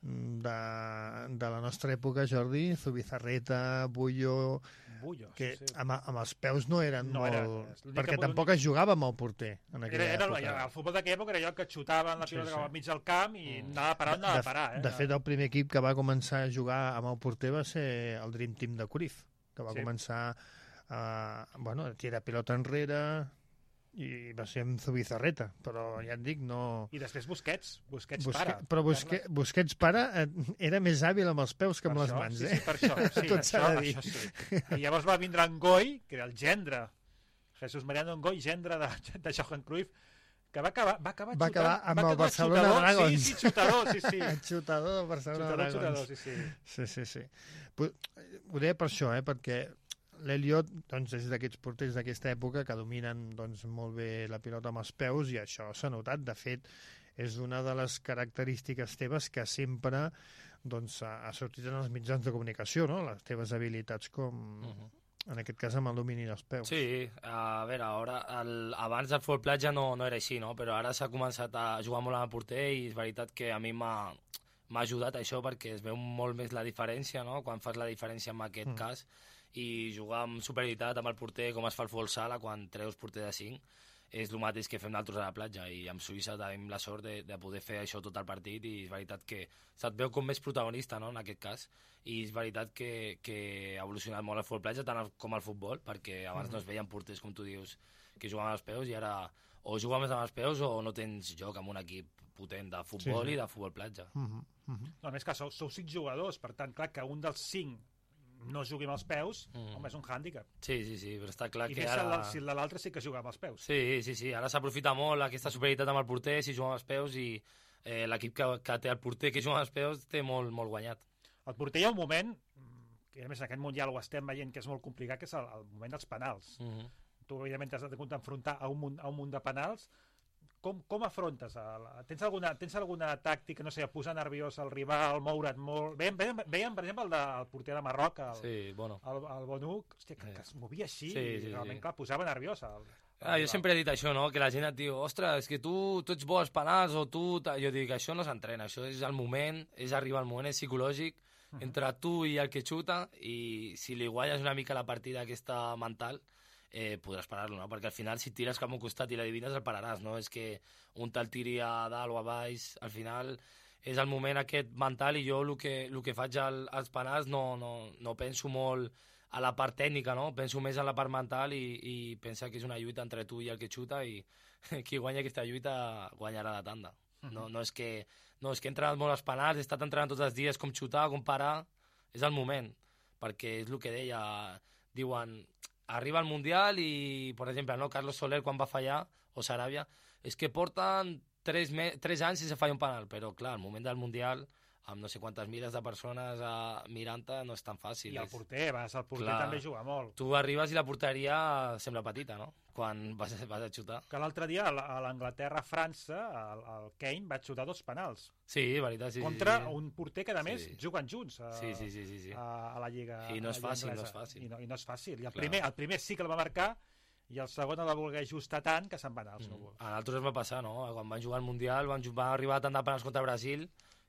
de, de la nostra època, Jordi, Zubizarreta, Bullo, Bullo, que sí, sí. amb, amb els peus no eren No molt... era, és l'únic perquè que- tampoc es jugava amb el porter en aquella Era, era, època. el futbol d'aquella època era allò que xutaven la Sí, pilota sí. cap al mig del camp i Mm. anava a parar on anava a parar. Eh? De fet, el primer equip que va començar a jugar amb el porter va ser el Dream Team de Cruyff, que va Sí. començar a, bueno, a tirar pilota enrere i va ser amb Zubizarreta, però ja et dic, no... I després Busquets, Busquets Busque... para. Però Busque... Busquets pare eh, era més hàbil amb els peus que amb Per les això, mans, sí, eh? Sí, per això, sí, Tot s'ha això, de dir. això sí. I llavors va vindre en Goy, que era el gendre, Jesús Mariano Ngoy, gendre de, de Johan Cruyff, que va acabar, va acabar, Va acabar xutant, amb va el acabar Barcelona xutador, Dragons. Sí, sí, xutador, sí, sí. El xutador del Barcelona Xutador, Dragons. xutador, sí, sí. Sí, sí, sí. Pu- Ho deia per això, eh? Perquè l'Eliot doncs, és d'aquests porters d'aquesta època que dominen doncs, molt bé la pilota amb els peus i això s'ha notat. De fet, és una de les característiques teves que sempre doncs, ha ha sortit en els mitjans de comunicació, no? Les teves habilitats com, Mhm. en aquest cas, amb el domini dels peus. Sí, a veure, ara, el, abans del futbol platja no, no era així, no? Però ara s'ha començat a jugar molt amb el porter i és veritat que a mi m'ha m'ha ajudat això perquè es veu molt més la diferència, no? Quan fas la diferència en aquest Mm. cas i jugar amb superioritat amb el porter com es fa el futbol sala quan treus porter de cinc és el mateix que fem nosaltres a la platja i amb Suïssa tenim la sort de, de poder fer això tot el partit i és veritat que se't veu com més protagonista, no?, en aquest cas, i és veritat que, que ha evolucionat molt el futbol platja tant el, com el futbol, perquè abans no es veien porters, com tu dius, que jugaven als peus i ara o jugues més amb els peus o no tens joc amb un equip potent de futbol Sí, sí. i de futbol platja. Uh -huh, uh -huh. No, a més que sou, sou cinc jugadors, per tant, clar, que un dels cinc no jugui amb els peus, Mm. home, és un hàndicap. Sí, sí, sí, però està clar I que més ara... ara... si el de l'altre sí que juga amb els peus. Sí, sí, sí, ara s'aprofita molt aquesta superioritat amb el porter si juga amb els peus i eh, l'equip que, que té el porter que juga amb els peus té molt, molt guanyat. El porter hi ha un moment, que a més en aquest Mundial ho estem veient que és molt complicat, que és el, el moment dels penals. Mm -hmm. Tu, evidentment, t'has de enfrontar a un munt, a un munt de penals. Com, com afrontes? A la... tens, alguna, tens alguna tàctica, no sé, posar nerviós el rival, moure't molt... Veiem, veiem, veiem per exemple, el, de, el porter de Marroc, el, Sí, bueno. el, el Bonuc, hòstia, que, Sí. que es movia així, Sí, i sí, realment, sí. clar, posava nerviós. El, el Ah, jo rival. sempre he dit això, no? Que la gent et diu, ostres, és que tu, tu ets bo als penals o tu... ta-". Jo dic, això no s'entrena, això és el moment, és arribar al moment, és psicològic, entre tu i el que xuta, i si li guanyes una mica la partida aquesta mental, eh, podràs parar-lo, no? Perquè al final, si tires cap a un costat i l'adivines, el pararàs, no? És que un te'l tiri a dalt o a baix, al final és el moment aquest mental i jo el que, el que faig al, als penals no, no, no penso molt a la part tècnica, no? Penso més en la part mental i, i pensa que és una lluita entre tu i el que xuta i qui guanya aquesta lluita guanyarà la tanda. No, no, és que, no és que he entrenat molt als penals, he estat entrenant tots els dies com xutar, com parar, és el moment, perquè és el que deia, diuen, arriba al Mundial i, per exemple, no, Carlos Soler quan va fallar, o Saràbia, és que porten tres, me tres anys sense fallar un penal, però clar, al moment del Mundial, amb no sé quantes miles de persones uh, mirant-te, no és tan fàcil. I el és... porter, vas, el porter Clar. també juga molt. Tu arribes i la porteria sembla petita, no?, quan vas, vas a xutar. Que l'altre dia, a la- a l'Anglaterra-França, el, el Kane va xutar dos penals. Sí, veritat, sí. contra sí, sí. un porter que, a més, Sí. juguen junts a, Sí, sí, sí, sí, sí. a, a la Lliga I no és a la Lliga fàcil, no anglesa. és fàcil. I no, i no és fàcil. I el Clar. primer, el primer sí que el va marcar i el segon el va voler ajustar tant que se'n va anar als Mm. núvols. A nosaltres ens va passar, no? Quan van jugar al Mundial van, ju- van arribar tant de penals contra Brasil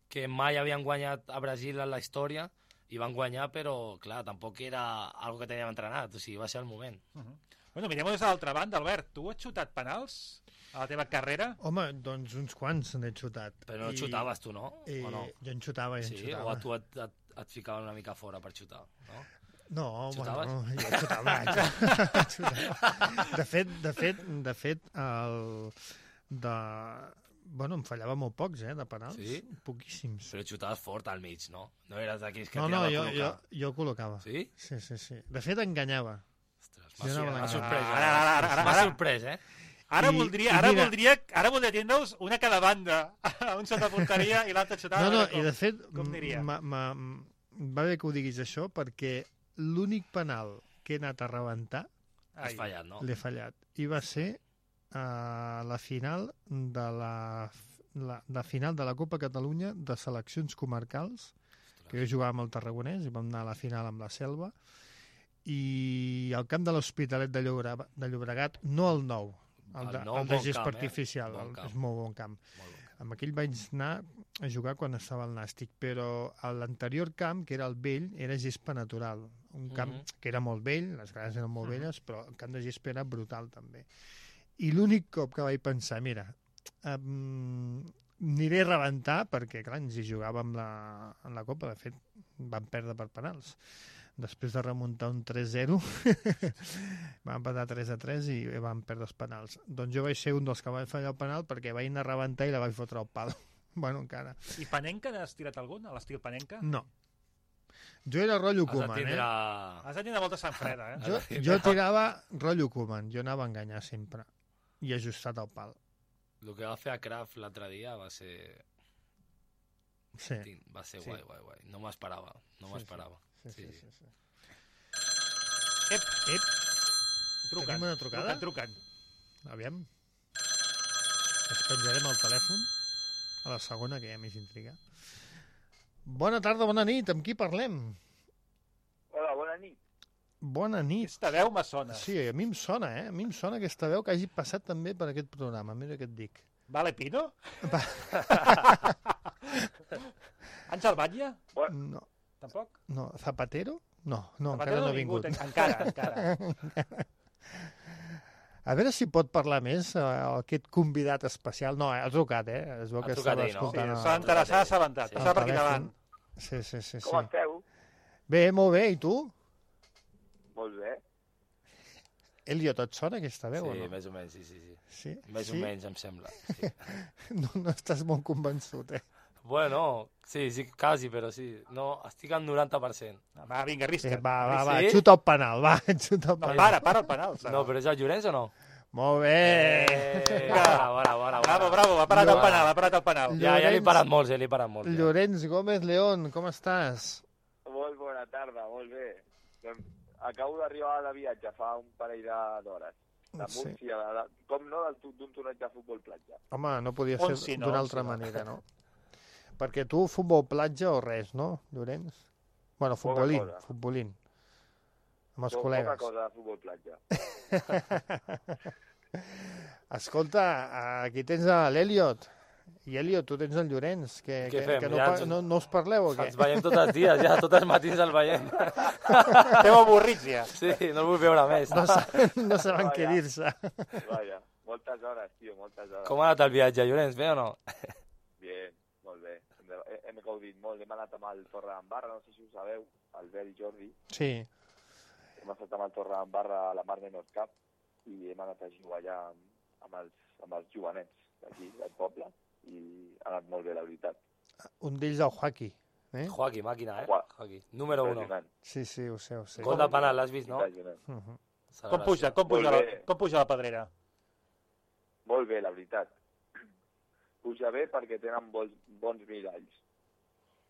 que mai havien guanyat a Brasil en la història i van guanyar, però, clar, tampoc era algo que teníem entrenat, o sigui, va ser el moment. Uh -huh. Bueno, mirem des de l'altra banda, Albert. Tu has xutat penals a la teva carrera? Home, doncs uns quants n'he xutat. Però no I- xutaves tu, no? I, o no? Jo en xutava, jo en Sí, xutava. o a tu et, et, et ficaven una mica fora per xutar, no? No, Xutaves? bueno, jo xutava. xutava. De fet, de fet, de fet, el... De... Bueno, em fallava molt pocs, eh, de penals. Sí? Poquíssims. Però xutaves fort al mig, no? No eres d'aquells que No, no, tirava a jo, jo, col·locar. jo col·locava. Sí? Sí, sí, sí. De fet, enganyava. Ostres, Jo m'ha anava m'ha a la- sorprès. Ara, ara, ara, ara, M'ha ara. sorprès, eh? Ara I- voldria, i ara mira- voldria, ara voldria tindre'ls una a cada banda. Un sota porteria i l'altre xutava. No, no, a veure i de fet, com aniria? m- m- m- va bé que ho diguis això, perquè l'únic penal que he anat a rebentar Has Ai. fallat, no? l'he fallat. I va ser a la final de la, la, la final de la Copa Catalunya de seleccions comarcals, que jo jugava amb el Tarragonès i vam anar a la final amb la Selva, i al camp de l'Hospitalet de, Llobregat, de Llobregat, no el nou, el, El de, nou, el de bon gest camp, eh? artificial, Bon el, camp. és molt bon camp. Molt bon. amb aquell vaig anar a jugar quan estava al Nàstic, però a l'anterior camp, que era el vell, era gespa natural. Un camp Mhm. que era molt vell, les grades eren molt Mhm. velles, però el camp de gespa era brutal també. I l'únic cop que vaig pensar, mira, um, aniré a rebentar, perquè clar, ens hi jugàvem la, en la Copa, de fet vam perdre per penals. Després de remuntar un tres zero vam empatar tres a tres i vam perdre els penals. Doncs jo vaig ser un dels que vaig fallar el penal perquè vaig anar a rebentar i la vaig fotre al pal. Bueno, encara. I Panenka n'has tirat algun, a l'estil Panenka? No. Jo era rotllo Has de Koeman, tindre... eh? Has de tenir molta sang freda, eh? Jo, jo tirava rotllo Koeman, jo anava a enganyar sempre. I ajustat al pal. El que va fer a Kraft l'altre dia va ser... Sí. Va ser Sí. guai, guai, guai. No m'esperava, no Sí, m'esperava. Sí, sí, Sí, sí. sí. Ep, Ep, trucant. Tenim una trucada? Trucant, trucant. aviam. Es penjarem el telèfon a la segona, que ja més intriga. Bona tarda, bona nit. Amb qui parlem? Hola, bona nit. Bona nit. Aquesta veu me sona. Sí, a mi em sona, eh? A mi em sona aquesta veu que hagi passat també per aquest programa. Mira què et dic. Vale Pino? Va. Àngel Batlle? No, Tampoc? no. Zapatero? No, no, Zapatero encara no ha vingut. Encara, encara. A veure si pot parlar més eh, aquest convidat especial. No, eh, ha trucat, eh? Es veu Ha que trucat estava ell, no? Sí, escoltant... s'ha el- enterat, s'ha assabentat. Sí. Passava per el aquí davant. telèfon. Sí, sí, sí. Com sí. esteu? Bé, molt bé. I tu? Molt bé. Elliot, et sona aquesta veu o Sí, no? més o menys, sí, sí. sí. Sí? Més sí? o menys, em sembla. Sí. No, no estàs molt convençut, eh? Bueno, sí, sí, quasi, però sí. No, estic al noranta per cent. Va, vinga, Sí, arrisca't. va, va, va, Sí? xuta el penal, va, xuta el No, penal. para, para el penal. No, però és el Llorenç o no? Molt bé. Eh, bona, bona, bona. Bravo, bravo, ha parat el Llorenç. penal, ha parat el penal. Ja, ja li he Llorenç. parat molts, ja li he parat molts. Ja. Llorenç Gómez León, com estàs? Molt bona tarda, molt bé. Doncs acabo d'arribar de viatge fa un parell de- d'hores. De Sí. Múrcia, de, de, com no, del- d'un torneig de futbol platja. Home, no podia On ser si no, d'una on altra si no. manera, no? Perquè tu, futbol platja o res, no, Llorenç? Bueno, futbolín, cosa. futbolín. Amb els Po- col·legues. Poca cosa de futbol platja. Escolta, aquí tens a l'Eliot. I Eliot, tu tens el Llorenç. Que, Què que, fem? que no, Ja pa- ens- no, no us parleu o què? Ens veiem tots els dies, ja, tots els matins el veiem. Esteu avorrits ja. Sí, no el vull veure més. No saben, no saben què Vaja. dir-se. Vaja, moltes hores, tio, moltes hores. Com ha anat el viatge, Llorenç, bé o no? Bien, molt bé. Hem, de- hem gaudit molt. Hem anat amb el Torre d'Embarra, no sé si ho sabeu, Albert i Jordi. Sí, Hem estat amb el Torre d'Embarra a la Mar Menor Cup i hem anat a jugar allà amb, amb, els, amb els jovenets d'aquí, del poble, i ha anat molt bé, la veritat. un d'ells el Joaquí. Eh? Joaquí, màquina, eh? Joa- Joaquí. Número uno. Impressionant, Sí, sí, ho sé, ho sé. Gol de penal, l'has vist, no? impressionant. Uh -huh. Com puja, com puja, Molt la, bé. com puja la pedrera? Molt bé, la veritat. Puja bé perquè tenen bons, bons miralls.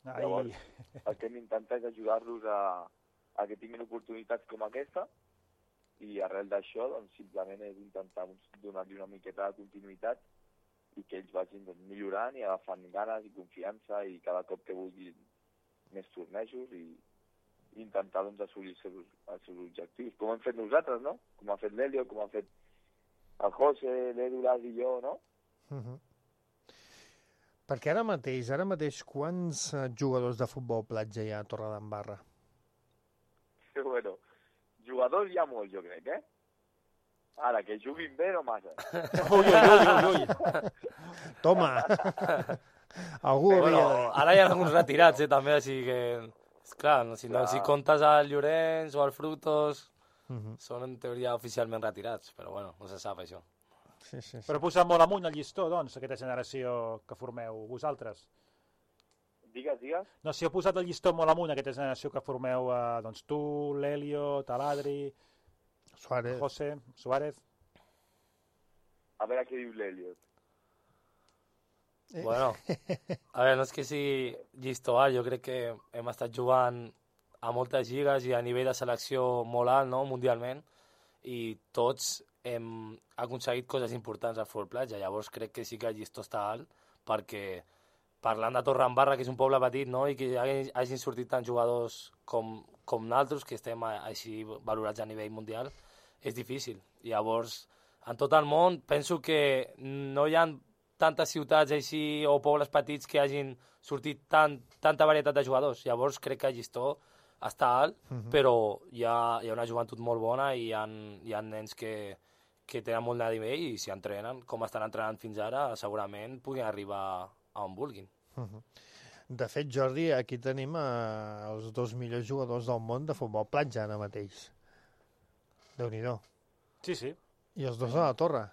Ai, Llavors, el que hem intentat és ajudar-los a, a que tinguin oportunitats com aquesta i arrel d'això doncs, simplement és intentar donar-li una miqueta de continuïtat i que ells vagin doncs, millorant i agafant ganes i confiança i cada cop que vulguin més tornejos i, i intentar doncs, assolir els seus, els seus objectius, com hem fet nosaltres, no? Com ha fet l'Helio, com ha fet el José, l'Edulas i jo, no? Uh -huh. Perquè ara mateix, ara mateix, quants eh, jugadors de futbol platja hi ha a Torredembarra? Bueno, jugadors hi ha molts, jo crec, eh? Ara, que juguin bé no massa. ui, ui, ui, ui, ui. Toma! Algú Bueno, hauria de dir. ara hi ha alguns retirats, eh, també, així que... És clar, no, si, no, Clar. si comptes al Llorenç o al Frutos, Uh -huh. són en teoria oficialment retirats, però bueno, no se sap això. Sí, sí, sí. Però posar molt amunt el llistó, doncs, aquesta generació que formeu vosaltres. Digues, digues. No, si heu posat el llistó molt amunt, aquesta generació que formeu, eh, doncs tu, l'Helio, Taladri, Suárez. José, Suárez... A veure què diu l'Eliot. Eh. Bueno, a veure, no és que sigui llistó alt, jo crec que hem estat jugant a moltes lligues i a nivell de selecció molt alt, no?, mundialment, i tots hem aconseguit coses importants al futbol platja, llavors crec que sí que el llistó està alt, perquè parlant de Torredembarra, que és un poble petit, no?, i que hagin, hagin sortit tants jugadors com, com naltros, que estem a, així valorats a nivell mundial, és difícil. Llavors, en tot el món, penso que no hi ha tantes ciutats així o pobles petits que hagin sortit tant, tanta varietat de jugadors. Llavors crec que el llistó està alt, uh-huh. però hi ha, hi ha una joventut molt bona i hi ha, hi ha nens que, que tenen molt de nivell i si entrenen, com estan entrenant fins ara, segurament puguin arribar a on vulguin. Uh-huh. De fet, Jordi, aquí tenim eh, els dos millors jugadors del món de futbol platja ara mateix. Déu-n'hi-do. Sí, sí. I els dos a la torre.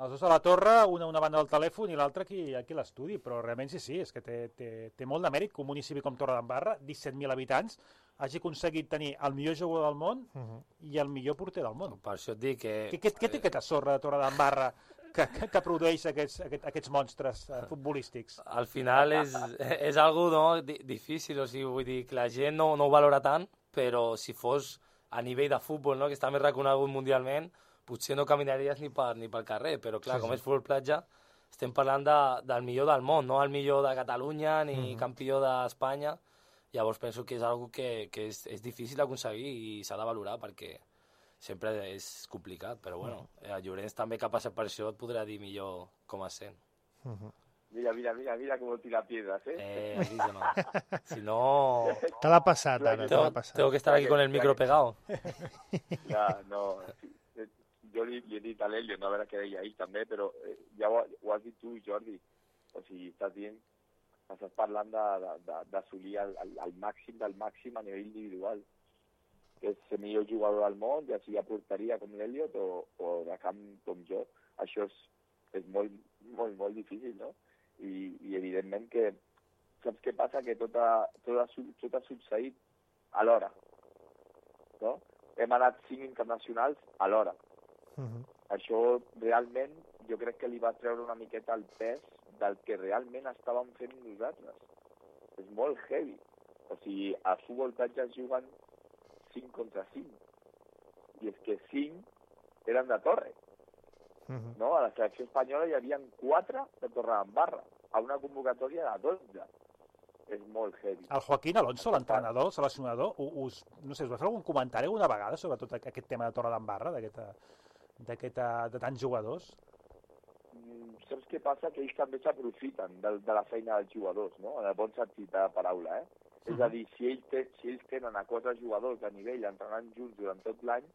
Els dos a la torre, una una banda del telèfon i l'altra aquí, aquí a l'estudi, però realment sí, sí, és que té, té, té molt de mèrit que un municipi com Torredembarra, disset mil habitants, hagi aconseguit tenir el millor jugador del món uh-huh. i el millor porter del món. Per això et dic que... Què, què, què té aquesta sorra de Torredembarra que, que, que produeix aquests, aquests, aquests monstres eh, futbolístics? Al final és, és algo no, difícil, o sigui, vull dir que la gent no, no ho valora tant, però si fos a nivell de futbol, no, que està més reconegut mundialment, potser no caminaries ni, per, ni pel carrer, però clar, sí, com sí. és futbol platja, estem parlant de, del millor del món, no el millor de Catalunya ni mm-hmm. campió d'Espanya. Llavors penso que és algo que, que és, és difícil d'aconseguir i s'ha de valorar perquè sempre és complicat, però bueno, mm. el Llorenç també que ha passat per això et podrà dir millor com es sent. Mm-hmm. Mira, mira, mira, mira cómo tira piedras, ¿eh? Eh, aquí no. Si no... Te l'ha passat, ara, te l'ha passat. Tengo que estar aquí con el micro pegado. Ja, no... Jo li, li he dit a l'Helio, no a veure què deia ahir també, però eh, ja ho, ho has dit tu, Jordi. O sigui, estàs dient, estàs parlant d'assolir el, el, el màxim del màxim a nivell individual. Que és el millor jugador del món, ja sigui a porteria com l'Eliot o, o de camp com jo. Això és, és molt, molt, molt difícil, no? I, i evidentment que, saps què passa? Que tot ha, tot ha, tot ha succeït alhora, no? Hem anat cinc internacionals alhora. Uh-huh. Això realment jo crec que li va treure una miqueta el pes del que realment estàvem fent nosaltres. És molt heavy. O sigui, a futbol platja es juguen cinc contra cinc. I és que cinc eren de Torre. Uh-huh. No? A la selecció espanyola hi havia quatre de Torredembarra, a una convocatòria de dotze. És molt heavy. El Joaquín Alonso, l'entrenador, el seleccionador, us, no sé, us va fer algun comentari alguna vegada sobre tot aquest tema de Torredembarra, d'aquesta... de tants jugadors? Mm, saps què passa? Que ells també s'aprofiten de, de la feina dels jugadors, no? En el bon sentit de la paraula, eh? Uh-huh. És a dir, si ells, te, si ells tenen a quatre jugadors de nivell entrenant junts durant tot l'any,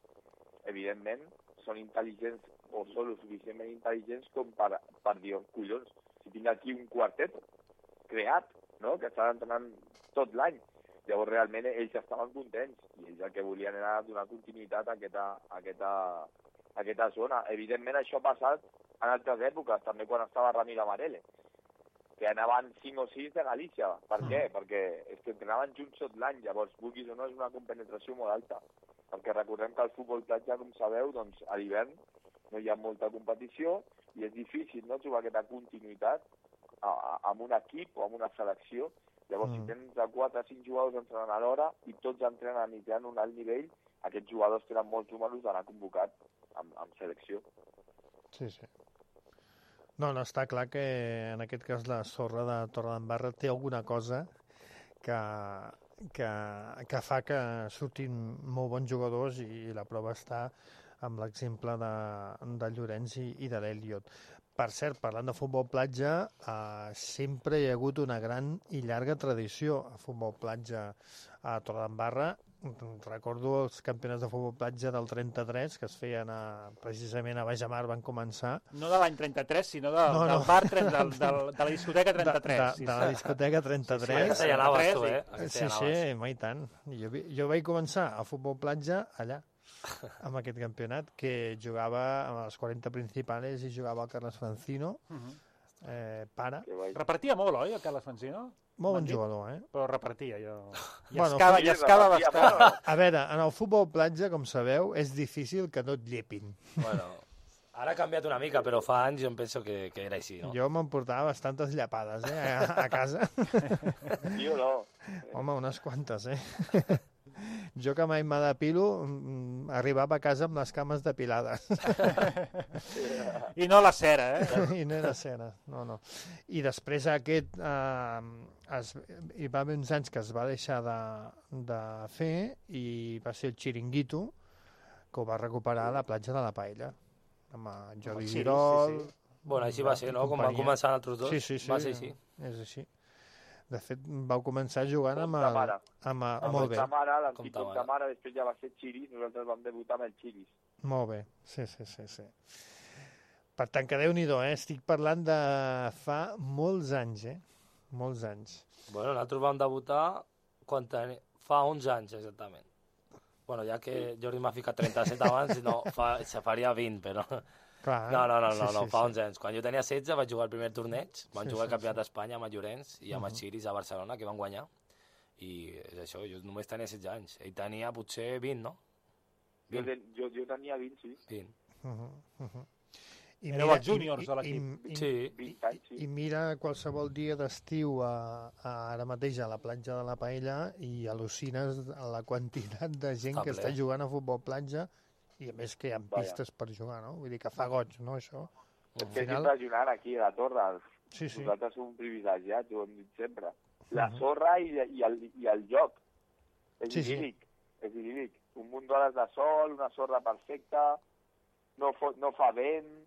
evidentment són intel·ligents o són lo suficientment intel·ligents com per, per dir, oh, collons, si tinc aquí un quartet creat, no? Que estan entrenant tot l'any. Llavors realment ells estaven contents i ells el que volien era donar continuïtat a aquesta, a aquesta aquesta zona. Evidentment això ha passat en altres èpoques, també quan estava Ramiro Amarele, que anaven cinc o sis de Galícia. Per què? Perquè és que entrenaven junts tot l'any, llavors vulguis o no és una compenetració molt alta, perquè recordem que el futbol platja, com sabeu, doncs a l'hivern no hi ha molta competició i és difícil, no?, trobar aquesta continuïtat a, a, amb un equip o amb una selecció. Llavors, mm. si tens de quatre a cinc jugadors entrenant a l'hora i tots entrenen i tenen un alt nivell, aquests jugadors tenen molts números d'anar convocat amb, amb selecció. Sí, sí. No, no, està clar que en aquest cas la sorra de Torredembarra té alguna cosa que, que, que fa que surtin molt bons jugadors i la prova està amb l'exemple de, de Llorenç i, i de l'Eliot. Per cert, parlant de futbol platja, eh, sempre hi ha hagut una gran i llarga tradició a futbol platja a Torredembarra. Recordo els campionats de futbol platja del trenta-tres que es feien a, precisament a Bajamar, van començar. No de l'any trenta-tres, sinó de, no, no. del bar del, del, de la discoteca trenta-tres. De, de, de la discoteca trenta-tres. Sí, sí, ja anaves tu, eh? Sí, sí, mai tant. Jo, jo vaig començar a futbol platja allà, amb aquest campionat, que jugava a les quaranta principales i jugava el Carles Francino, uh-huh. eh, pare. Repartia molt, oi, el Carles Francino? Molt bon jugador, eh? Però repartia, jo... Bueno, Llascava, llascava bastant. A veure, en el futbol platja, com sabeu, és difícil que no et llepin. Bueno, ara ha canviat una mica, però fa anys jo em penso que, que era així, no? Jo m'emportava bastantes llapades, eh, a, a casa. Jo no. Home, unes quantes, eh? Jo que mai me depilo, arribava a casa amb les cames depilades. I no la cera, eh? I no era cera, no, no. I després aquest, eh, es, hi va haver uns anys que es va deixar de, de fer i va ser el Chiringuito, que ho va recuperar a la platja de la Paella. Amb Jordi sí, Girol, sí, sí. Bueno, així va ser, no? Com van companyia. començar altres dos. Sí, sí, sí. Va ser així. És així. De fet, vau començar jugant amb Com el... ta mare. Amb el... Amb Molt el bé, Tamara, l'antic Com com Tamara. Tamara, després ja va ser Chiris, nosaltres vam debutar amb el Chiris. molt bé. Sí, sí, sí, sí. Per tant, que Déu-n'hi-do, eh? Estic parlant de fa molts anys, eh? Molts anys. Bueno, nosaltres vam debutar quan teni... fa onze anys, exactament. Bueno, ja que Jordi m'ha ficat trenta-set abans, no, fa... se faria vint, però... Clar, No, no, no, sí, no, no sí, fa sí. onze anys. Quan jo tenia setze vaig jugar el primer torneig, vam Sí, jugar sí, el campionat sí. d'Espanya amb el Llorenç i amb els Xiris a Barcelona, que van guanyar. I és això, jo només tenia setze anys. Ell tenia potser vint, no? Jo, vint. ten, jo, jo tenia vint, sí. vint. Uh -huh, uh -huh. I Éreu els júniors de l'equip. i- i- Sí. vint anys, sí. I mira qualsevol dia d'estiu a, a, ara mateix a la platja de la Paella i al·lucines la quantitat de gent Està que ple. està jugant a futbol platja i a més que hi ha Vaja. pistes per jugar, no? Vull dir que fa goig, no, això? És Al que és final- impressionant aquí a la Torre. Sí, sí. Nosaltres som privilegiats, ho hem dit sempre. La Mhm. sorra i, i, el, i el joc. És Sí, sí. idíl·lic. És idíl·lic. Un munt d'hores de sol, una sorra perfecta, no, fot, no fa vent...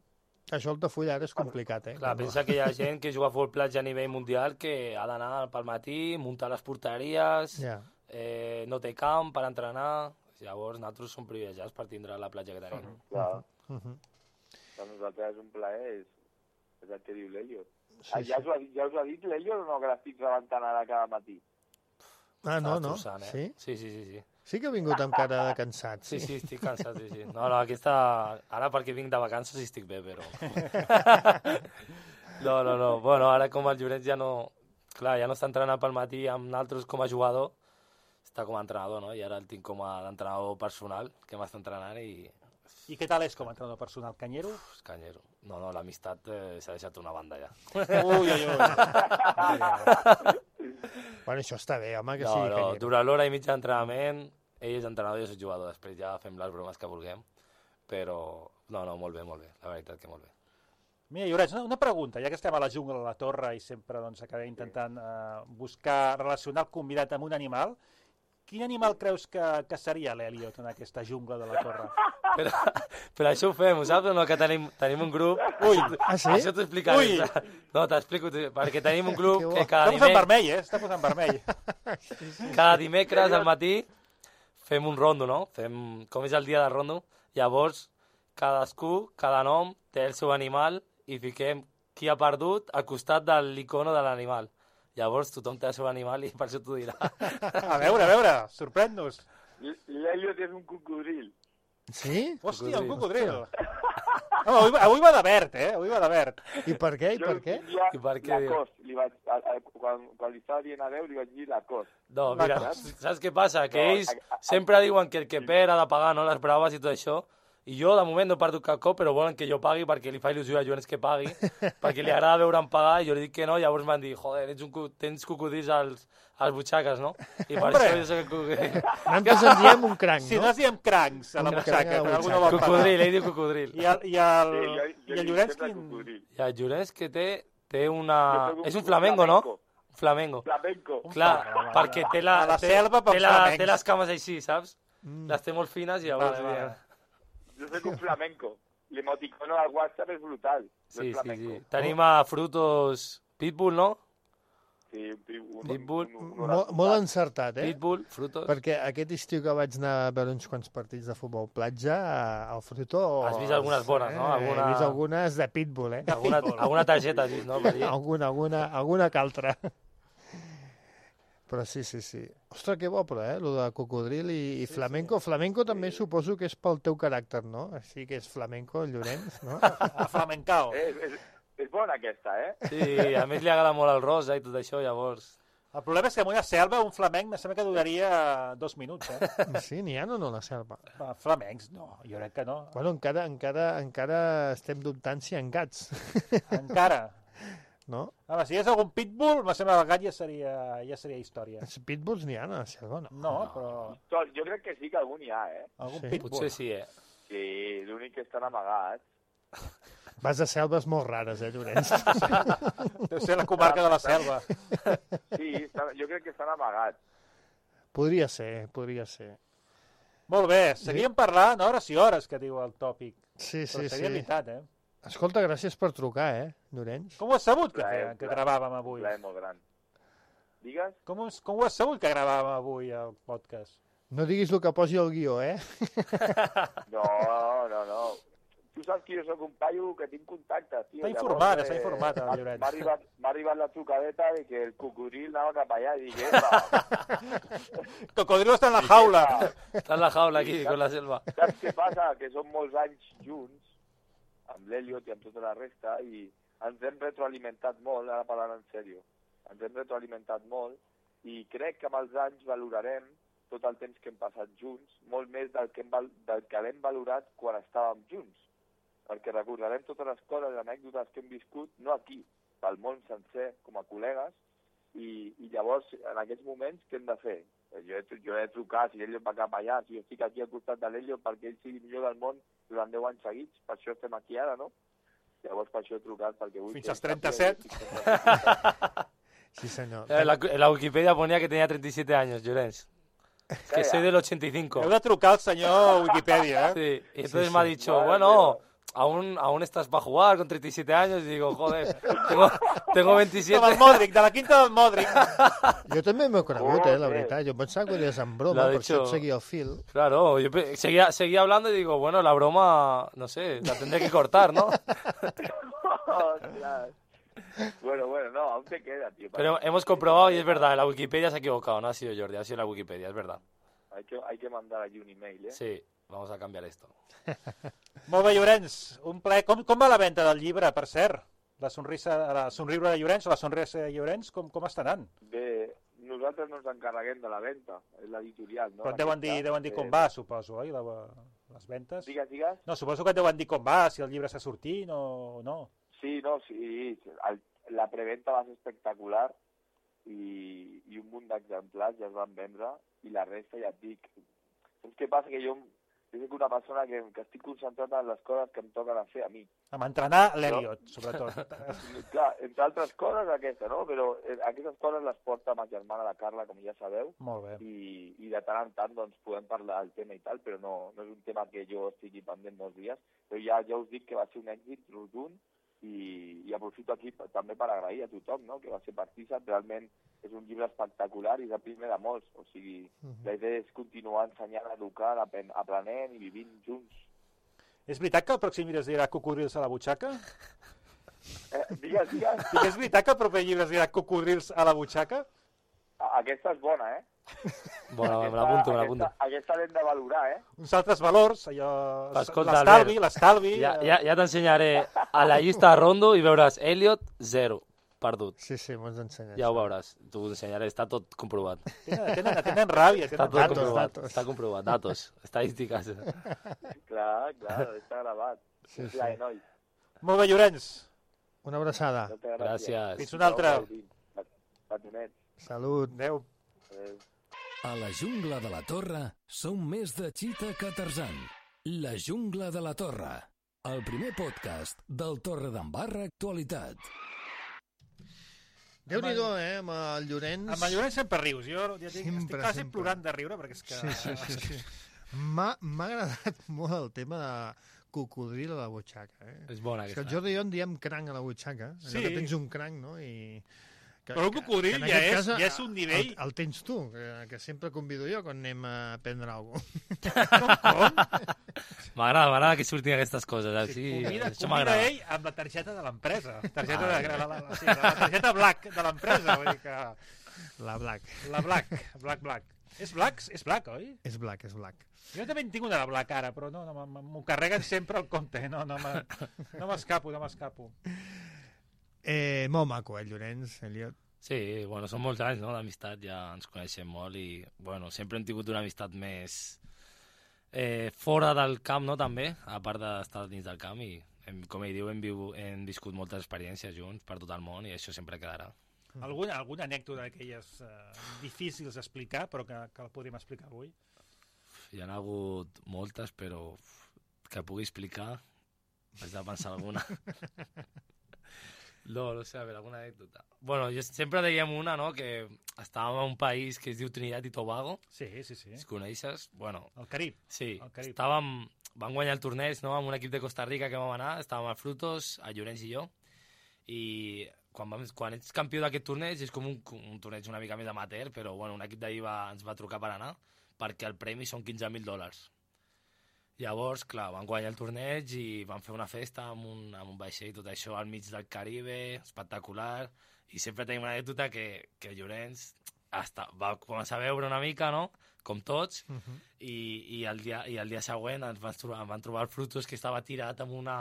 Això el Tafull ara és complicat, eh? Clar, pensa que hi ha gent que juga a futbol platja a nivell mundial que ha d'anar pel matí, muntar les porteries, Ja. eh, no té camp per entrenar... Llavors, nosaltres som privilegiats per tindre la platja que tenim. Clar, Uh -huh. per nosaltres és un plaer, és, és el que diu l'Elliot. Sí, Ah, ja, sí. us ho ha, dit- ja us ho ha dit l'Elliot o no, que l'estic rebentant ara cada matí? Ah, no, Estàs no? trossant, eh? Sí? Sí, sí, sí, sí. Sí que ha vingut amb cara de cansat, Sí, sí. sí, estic cansat, sí, sí. No, no, aquesta... Ara perquè vinc de vacances i estic bé, però... No, no, no. Bueno, ara com el Llorenç ja no... Clar, ja no està entrenant pel matí amb nosaltres com a jugador, està com a entrenador, no? I ara el tinc com a entrenador personal, que m'està entrenant i... I què tal és com a entrenador personal? Canyero? Uf, canyero. No, no, l'amistat eh, s'ha deixat una banda ja. Ui, ui, ui. Bueno, això està bé, home, que No, sigui no, canyero. dura l'hora i mitja d'entrenament, ell és entrenador i jo soc jugador, després ja fem les bromes que vulguem, però no, no, molt bé, molt bé, la veritat que molt bé. Mira, Llorenç, una, una pregunta, ja que estem a la jungla de la Torre i sempre doncs, acabem intentant eh, buscar, relacionar el convidat amb un animal, quin animal creus que, que seria l'Eliot en aquesta jungla de la Torre? Però, però això ho fem, ho saps o no? Que tenim, tenim un grup... Ui, Ah, sí? Això t'ho explicaré. Ui. No, t'explico, perquè tenim un grup Que bo. que Està cada, posant dimec... vermell, eh? Està posant vermell. cada dimecres al matí fem un rondo, no? Fem, com és el dia de rondo, llavors cadascú, cada nom, té el seu animal i fiquem qui ha perdut al costat de l'icono de l'animal. Llavors tothom té el seu animal i per això t'ho dirà. A veure, a veure, sorprèn-nos. L'Elliot és un cocodril. Sí? Hòstia, un cocodril. No, avui, avui va de verd, eh? Avui va de verd. I per què? I Jo per què? li diria I per què, diu? Lacoste. Li vaig, a, a, quan, quan li estava dient adeu, li vaig dir Lacoste. No, mira, saps què passa? Que No, ells a- a- sempre diuen que el que perd ha de pagar, no?, les braves i tot això. I jo, de moment, no he perdut cap cop, però volen que jo pagui perquè li fa il·lusió a Joans que pagui, perquè li agrada veure'm pagar, i jo li dic que no, llavors m'han dit, joder, ets un, co- tens cocodrils als, als butxaques, no? I per Hombre. això jo soc el cocodril. Nosaltres en diem un cranc, Si no no? es diem crancs a la Un cranc butxaca, a la que algú no butxaca. vol pagar. Cocodril, ell diu cocodril. I el, i el, Sí, jo, jo i el dic Llorenç, sempre quin... cocodril. I el Llorenç que té, té una... Jo soc un- És un un flamenco, no? flamenco. Flamenco. Flamenco. Clar, flamenco. perquè té, la, A la té, selva pels té, la, flamencs. té les cames així, saps? Mm. Les té molt fines i llavors... Vale, vale. Jo soc un flamenco. L'emoticono al WhatsApp és brutal. Jo Sí, sí, flamenco. sí. Tenim a Frutos Pitbull, no? Sí, un, pi- un, Pitbull. un, un, un, Molt, molt encertat, eh? Pitbull, Frutos. Perquè aquest estiu que vaig anar a veure uns quants partits de futbol platja, al Fruto... Has vist algunes bones, no? Alguna- He vist algunes de Pitbull, eh? Alguna, alguna targeta has vist, no? Per allí? Alguna, alguna, alguna que altra. Però sí, sí, sí. Ostres, que bo, però, eh? Lo de cocodril i, i flamenco. Flamenco també suposo que és pel teu caràcter, no? Així que és flamenco, el Llorenç, no? A flamencao. Eh, és, és bona aquesta, eh? Sí, a més li agrada molt el rosa i tot això, llavors... El problema és que en una selva un flamenc me sembla que duraria dos minuts, eh? Sí, n'hi ha o no, la selva? Va, flamencs, no, jo crec que no. Bueno, encara, encara, encara estem dubtant si hi ha gats, Encara. no? Home, si hi hagués algun pitbull, me sembla que el gat ja seria, ja seria història. Els pitbulls n'hi ha a la selva, no? No, però Tot, jo crec que sí que algun hi ha, eh? algun Sí. pitbull. Potser sí, eh? Sí, l'únic que estan amagats. Vas a selves molt rares, eh, Llorenç? Deu ser la comarca de la selva. Sí, estan, jo crec que estan amagats. Podria ser, podria ser. Molt bé, seguíem parlant hores i hores, que diu el tòpic. Sí, Però sí, seria sí. veritat, eh? Escolta, gràcies per trucar, eh, Llorenç? Com ho has sabut que, Plaer, que, que plaer. gravàvem avui? Un plaer molt gran. Digues? Com, us- com ho has sabut que gravàvem avui el podcast? No diguis el que posi al guió, eh? No, no, no. Tu saps que jo sóc un paio que tinc contactes, tio. Està Llavors, informat, eh, està informat, el m'ha- Llorenç. M'ha arribat, m'ha arribat la trucadeta de que el cocodril anava cap allà i dic, epa, Cocodrilo està en la jaula. Está en la jaula aquí, con la selva. saps què passa? Que som molts anys junts, amb l'Eliot i amb tota la resta, i ens hem retroalimentat molt, ara parlant en sèrio, ens hem retroalimentat molt, i crec que amb els anys valorarem tot el temps que hem passat junts, molt més del que, hem, val- del que l'hem valorat quan estàvem junts. Perquè recordarem totes les coses, les anècdotes que hem viscut, no aquí, pel món sencer, com a col·legues, i, i llavors, en aquests moments, què hem de fer? Jo he, jo he de trucar, si l'Eliot va cap allà, si jo estic aquí al costat de l'Eliot perquè ell sigui millor del món durant deu anys seguits, per això estem aquí ara, no? Llavors per això he trucat, perquè vull... Fins que als ell trenta-set. sàpiga- Sí, senyor. En la, en la Wikipedia ponía que tenía treinta y siete años, Llorenç. Que soy del ochenta y cinco. Heu de trucar al senyor Wikipedia, eh? Sí, y entonces Sí, me ha sí. dicho, Madre bueno, aún, aún estás para jugar con treinta y siete años. Y digo, joder, tengo, tengo veintisiete. Com el Modric, de la quinta del Modric. Jo també m'he conegut, eh, la Joder. veritat. Jo pensava que ho deies en broma, L'ha per això dicho- et seguia el fil. Claro, yo pe- seguía, seguía hablando y digo, bueno, la broma, no sé, la tendré que cortar, ¿no? Ostras. Bueno, bueno, no, aún te queda, tío. Pero hemos comprobado y es verdad, la Wikipedia se ha equivocado, no ha sido Jordi, ha sido la Wikipedia, es verdad. Hay que, hay que mandar allí un email, ¿eh? Sí, vamos a cambiar esto. Molt bé, Llorenç. Un plaer. Com, com va la venda del llibre, per cert? La sonrisa, la somriure de Llorenç o la sonrisa de Llorenç, com, com està anant? Bé, nosaltres no ens encarreguem de la venda, és l'editorial, no? Però et deuen dir, deuen dir com va, suposo, oi? La, les ventes? Digues, digues. No, suposo que et deuen dir com va, si el llibre està sortint o no. Sí, no, sí, el, la preventa va ser espectacular i, i un munt d'exemplars ja es van vendre i la resta ja et dic. Saps què passa? Que jo, jo soc una persona que, que estic concentrat en les coses que em toquen a fer a mi. Amb entrenar l'Eliot, sobretot. Clar, entre altres coses aquesta, no? Però eh, aquestes coses les porta ma germana, la Carla, com ja sabeu, Molt bé. i, i de tant en tant doncs, podem parlar del tema i tal, però no, no és un tema que jo estigui pendent molts dies, però ja, ja us dic que va ser un èxit rotund i, i aprofito aquí per, també per agrair a tothom, no?, que va ser partícip. Realment és un llibre espectacular i és el primer de molts, o sigui, uh -huh. la idea és continuar ensenyant, educant, apen- aprenent i vivint junts. És veritat que el pròxim llibre es dirà Cocodrils a la butxaca? Eh, digues, digues, I que és veritat que el proper llibre es dirà Cocodrils a la butxaca? A- aquesta és bona, eh? Bueno, me l'apunto, me l'apunto. Aquesta, aquesta l'hem de valorar, eh? Uns altres valors, allò... Escolta, l'estalvi, Albert, l'estalvi... Ja, eh, ja, ja t'ensenyaré a la llista de Rondo i veuràs Elliot, zero, perdut. Sí, sí, m'ho has ensenyat. Ja ho veuràs, t'ho ensenyaré, està tot comprovat. Tenen, tenen, tenen ràbia, Està tenen tot ràbia. comprovat, datos. està comprovat, datos, estadístiques. Clar, clar, està gravat. Sí, Sí, sí. sí. Noi, Molt bé, Llorenç. Una abraçada. moltes Gràcies. Fins una altra. Patonets. Salut. Adéu. Adéu. A la jungla de la Torre som més de Cheetah que Tarzan. La jungla de la Torre, el primer podcast del Torredembarra Actualitat. Déu-n'hi-do, eh, amb el Llorenç. Amb el Llorenç sempre rius. Jo ja dic, Sempre, estic quasi sempre. plorant de riure perquè és que... Sí, sí, sí. sí. M'ha m'ha agradat molt el tema de cocodril a la butxaca. Eh? És bona És que el aquesta. Jordi i jo en diem cranc a la butxaca. Allò Sí. que tens un cranc, no? I... Que, Però un cocodril en ja aquest és- ja és un nivell- El, el tens tu, que, que sempre convido jo quan anem a prendre alguna M'agrada, m'agrada que surtin aquestes coses. Així, Convida, això convida m'agrada. ell amb la targeta de l'empresa. Targeta Ah, de, la, la, la, sí, la targeta Black de l'empresa. Vull dir que... La Black. La Black, Black, Black. És Black? És Black, oi? És Black, és Black. Jo també en tinc una de Black ara, però no, no m- m'ho carreguen sempre al compte. No, no me- no m'escapo, no m'escapo. Eh, molt maco, eh, Llorenç, Eliot. Sí, bueno, són molts anys, no?, d'amistat, ja ens coneixem molt i, bueno, sempre hem tingut una amistat més eh, fora del camp, no?, també, a part d'estar dins del camp i, hem, com ell diu, hem, viu, hem viscut moltes experiències junts per tot el món i això sempre quedarà. Alguna, alguna anècdota d'aquelles eh, difícils d'explicar, però que, que la podríem explicar avui? Hi ha hagut moltes, però uf, que pugui explicar, haig de pensar alguna. No, no sé, a veure, alguna anècdota. Bueno, jo sempre dèiem una, no?, que estàvem en un país que es diu Trinidad i Tobago, Sí, sí, sí. si coneixes, bueno, El Carib. sí, El Carib. estàvem, van guanyar el torneig, no?, amb un equip de Costa Rica que vam anar, estàvem al Frutos, a Llorenç i jo, i quan, vam, quan ets campió d'aquest torneig és com un, un torneig una mica més amateur, però bueno, un equip d'ahir va, ens va trucar per anar, perquè el premi són quinze mil dòlars. Llavors, clar, van guanyar el torneig i van fer una festa amb un, amb un vaixell, tot això al mig del Caribe, espectacular, i sempre tenim una anècdota que, que Llorenç hasta, va començar a veure una mica, no?, com tots, uh -huh. i, i, el dia, i el dia següent ens van trobar, van trobar el Frutos que estava tirat amb una,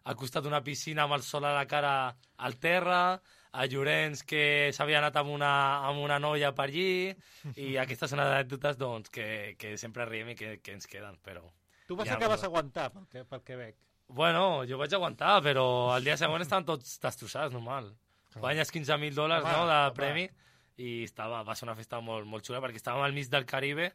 al costat d'una piscina amb el sol a la cara al terra, a Llorenç que s'havia anat amb una, amb una noia per allí, i aquestes són anècdotes doncs, que, que sempre riem i que, que ens queden, però... Tu vas ja, que vas aguantar, pel que, pel que veig. Bueno, jo vaig aguantar, però el dia següent estaven tots destrossats, normal. Guanyes quinze mil dòlars, no, de home. Premi, i estava, va ser una festa molt, molt xula, perquè estàvem al mig del Caribe,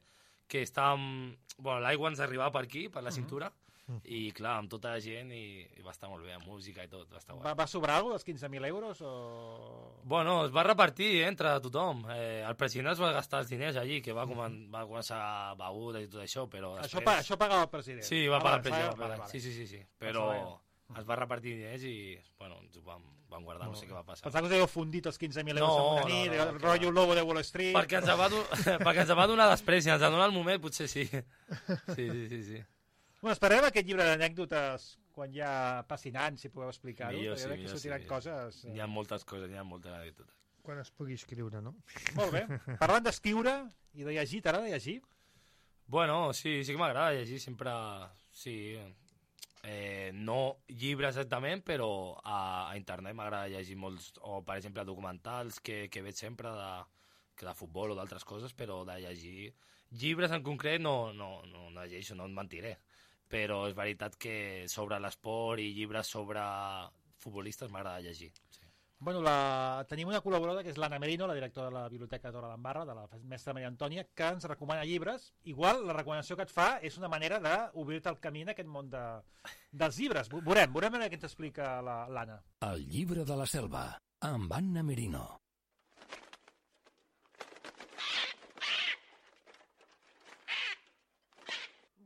que estàvem... Bueno, l'aigua ens arribava per aquí, per la cintura, uh -huh. i clar, amb tota la gent, i, i va estar molt bé, amb música i tot, va estar guai. Va, va sobrar alguna dels quinze mil euros, o...? Bueno, es va repartir eh, entre tothom. Eh, el president es va gastar els diners allí, que va, comen va començar begudes i tot això, però després... Això, pa això pagava el president? Sí, va ah, pagar vale, el president. vale, vale. Sí, sí, sí, sí. Però es va repartir diners i, bueno, ens ho vam, vam guardar, no sé què va passar. Pensava que us havíeu fundit els quinze mil euros no, en una nit, no, no, el rotllo lobo de Wall Street... Perquè ens va, perquè ens va donar després, si ens va donar el moment, potser sí. Sí, sí, sí, sí. Bueno, esperem aquest llibre d'anècdotes quan ja passin anys, si podeu explicar-ho, millor, perquè sí, veig millor, que sortiran sí, coses... Hi ha moltes coses, hi ha moltes anècdotes. Quan es pugui escriure, no? Molt bé. Parlant d'escriure i de llegir, t'agrada llegir? Bueno, sí, sí que m'agrada llegir, sempre... Sí, eh, no llibres exactament, però a, a internet m'agrada llegir molts, o per exemple documentals que, que veig sempre de, que de futbol o d'altres coses, però de llegir llibres en concret no, no, no, no llegeixo, no et mentiré, però és veritat que sobre l'esport i llibres sobre futbolistes m'agrada llegir. Sí. Bueno, la... tenim una col·laboradora que és l'Anna Merino, la directora de la Biblioteca de Torredembarra, de la mestra Maria Antònia, que ens recomana llibres. Igual la recomanació que et fa és una manera d'obrir-te el camí en aquest món de... dels llibres. Veurem, veurem què ens explica l'Anna. El llibre de la selva, amb Anna Merino.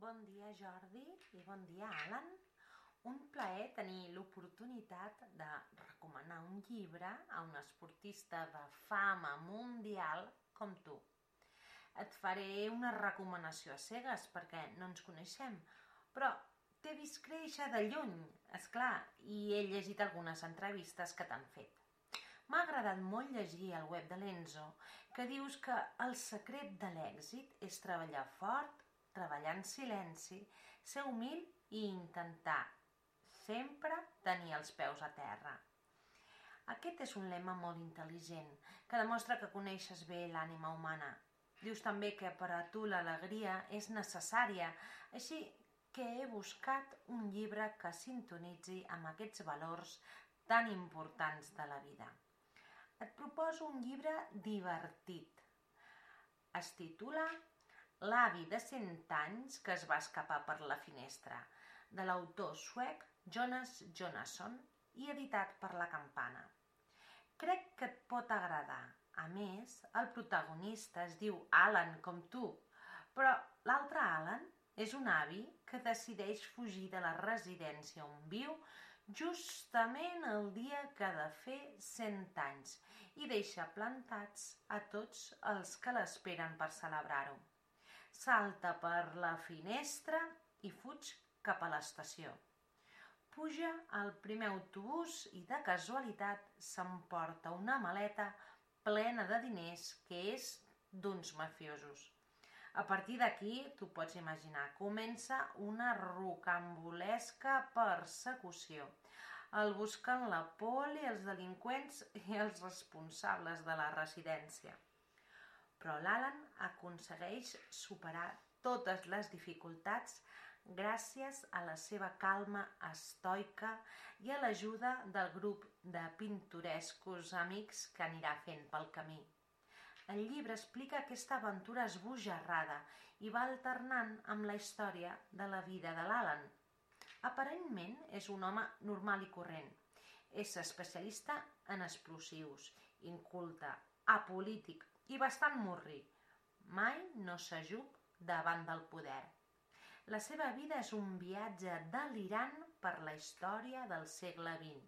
Bon dia, Jordi, i bon dia, Alan. Un plaer tenir l'oportunitat de recomanar un llibre a un esportista de fama mundial com tu. Et faré una recomanació a cegues perquè no ens coneixem, però t'he vist créixer de lluny, esclar, i he llegit algunes entrevistes que t'han fet. M'ha agradat molt llegir al web de l'Enzo que dius que el secret de l'èxit és treballar fort, treballar en silenci, ser humil i intentar sempre tenir els peus a terra. Aquest és un lema molt intel·ligent, que demostra que coneixes bé l'ànima humana. Dius també que per a tu l'alegria és necessària, així que he buscat un llibre que sintonitzi amb aquests valors tan importants de la vida. Et proposo un llibre divertit. Es titula L'avi de cent anys que es va escapar per la finestra, de l'autor suec Jonas Jonasson i editat per La Campana. Crec que et pot agradar. A més, el protagonista es diu Alan com tu, però l'altre Alan és un avi que decideix fugir de la residència on viu justament el dia que ha de fer cent anys i deixa plantats a tots els que l'esperen per celebrar-ho. Salta per la finestra i fuig cap a l'estació. Puja al primer autobús i de casualitat s'emporta una maleta plena de diners que és d'uns mafiosos. A partir d'aquí, tu pots imaginar, comença una rocambolesca persecució. El busquen la poli, els delinqüents i els responsables de la residència. Però l'Alan aconsegueix superar totes les dificultats gràcies a la seva calma estoica i a l'ajuda del grup de pintorescos amics que anirà fent pel camí. El llibre explica aquesta aventura esbojarrada i va alternant amb la història de la vida de l'Alan. Aparentment és un home normal i corrent. És especialista en explosius, inculte, apolític i bastant murri. Mai no s'ajup davant del poder. La seva vida és un viatge delirant per la història del segle vint.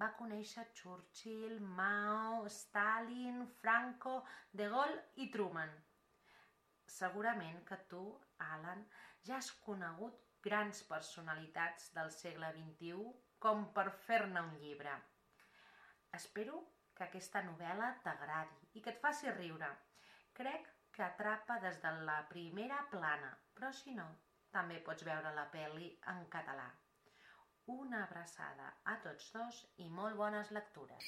Va conèixer Churchill, Mao, Stalin, Franco, De Gaulle i Truman. Segurament que tu, Alan, ja has conegut grans personalitats del segle vint-i-u com per fer-ne un llibre. Espero que aquesta novel·la t'agradi i que et faci riure. Crec que atrapa des de la primera plana, però si no, també pots veure la pel·li en català. Una abraçada a tots dos i molt bones lectures.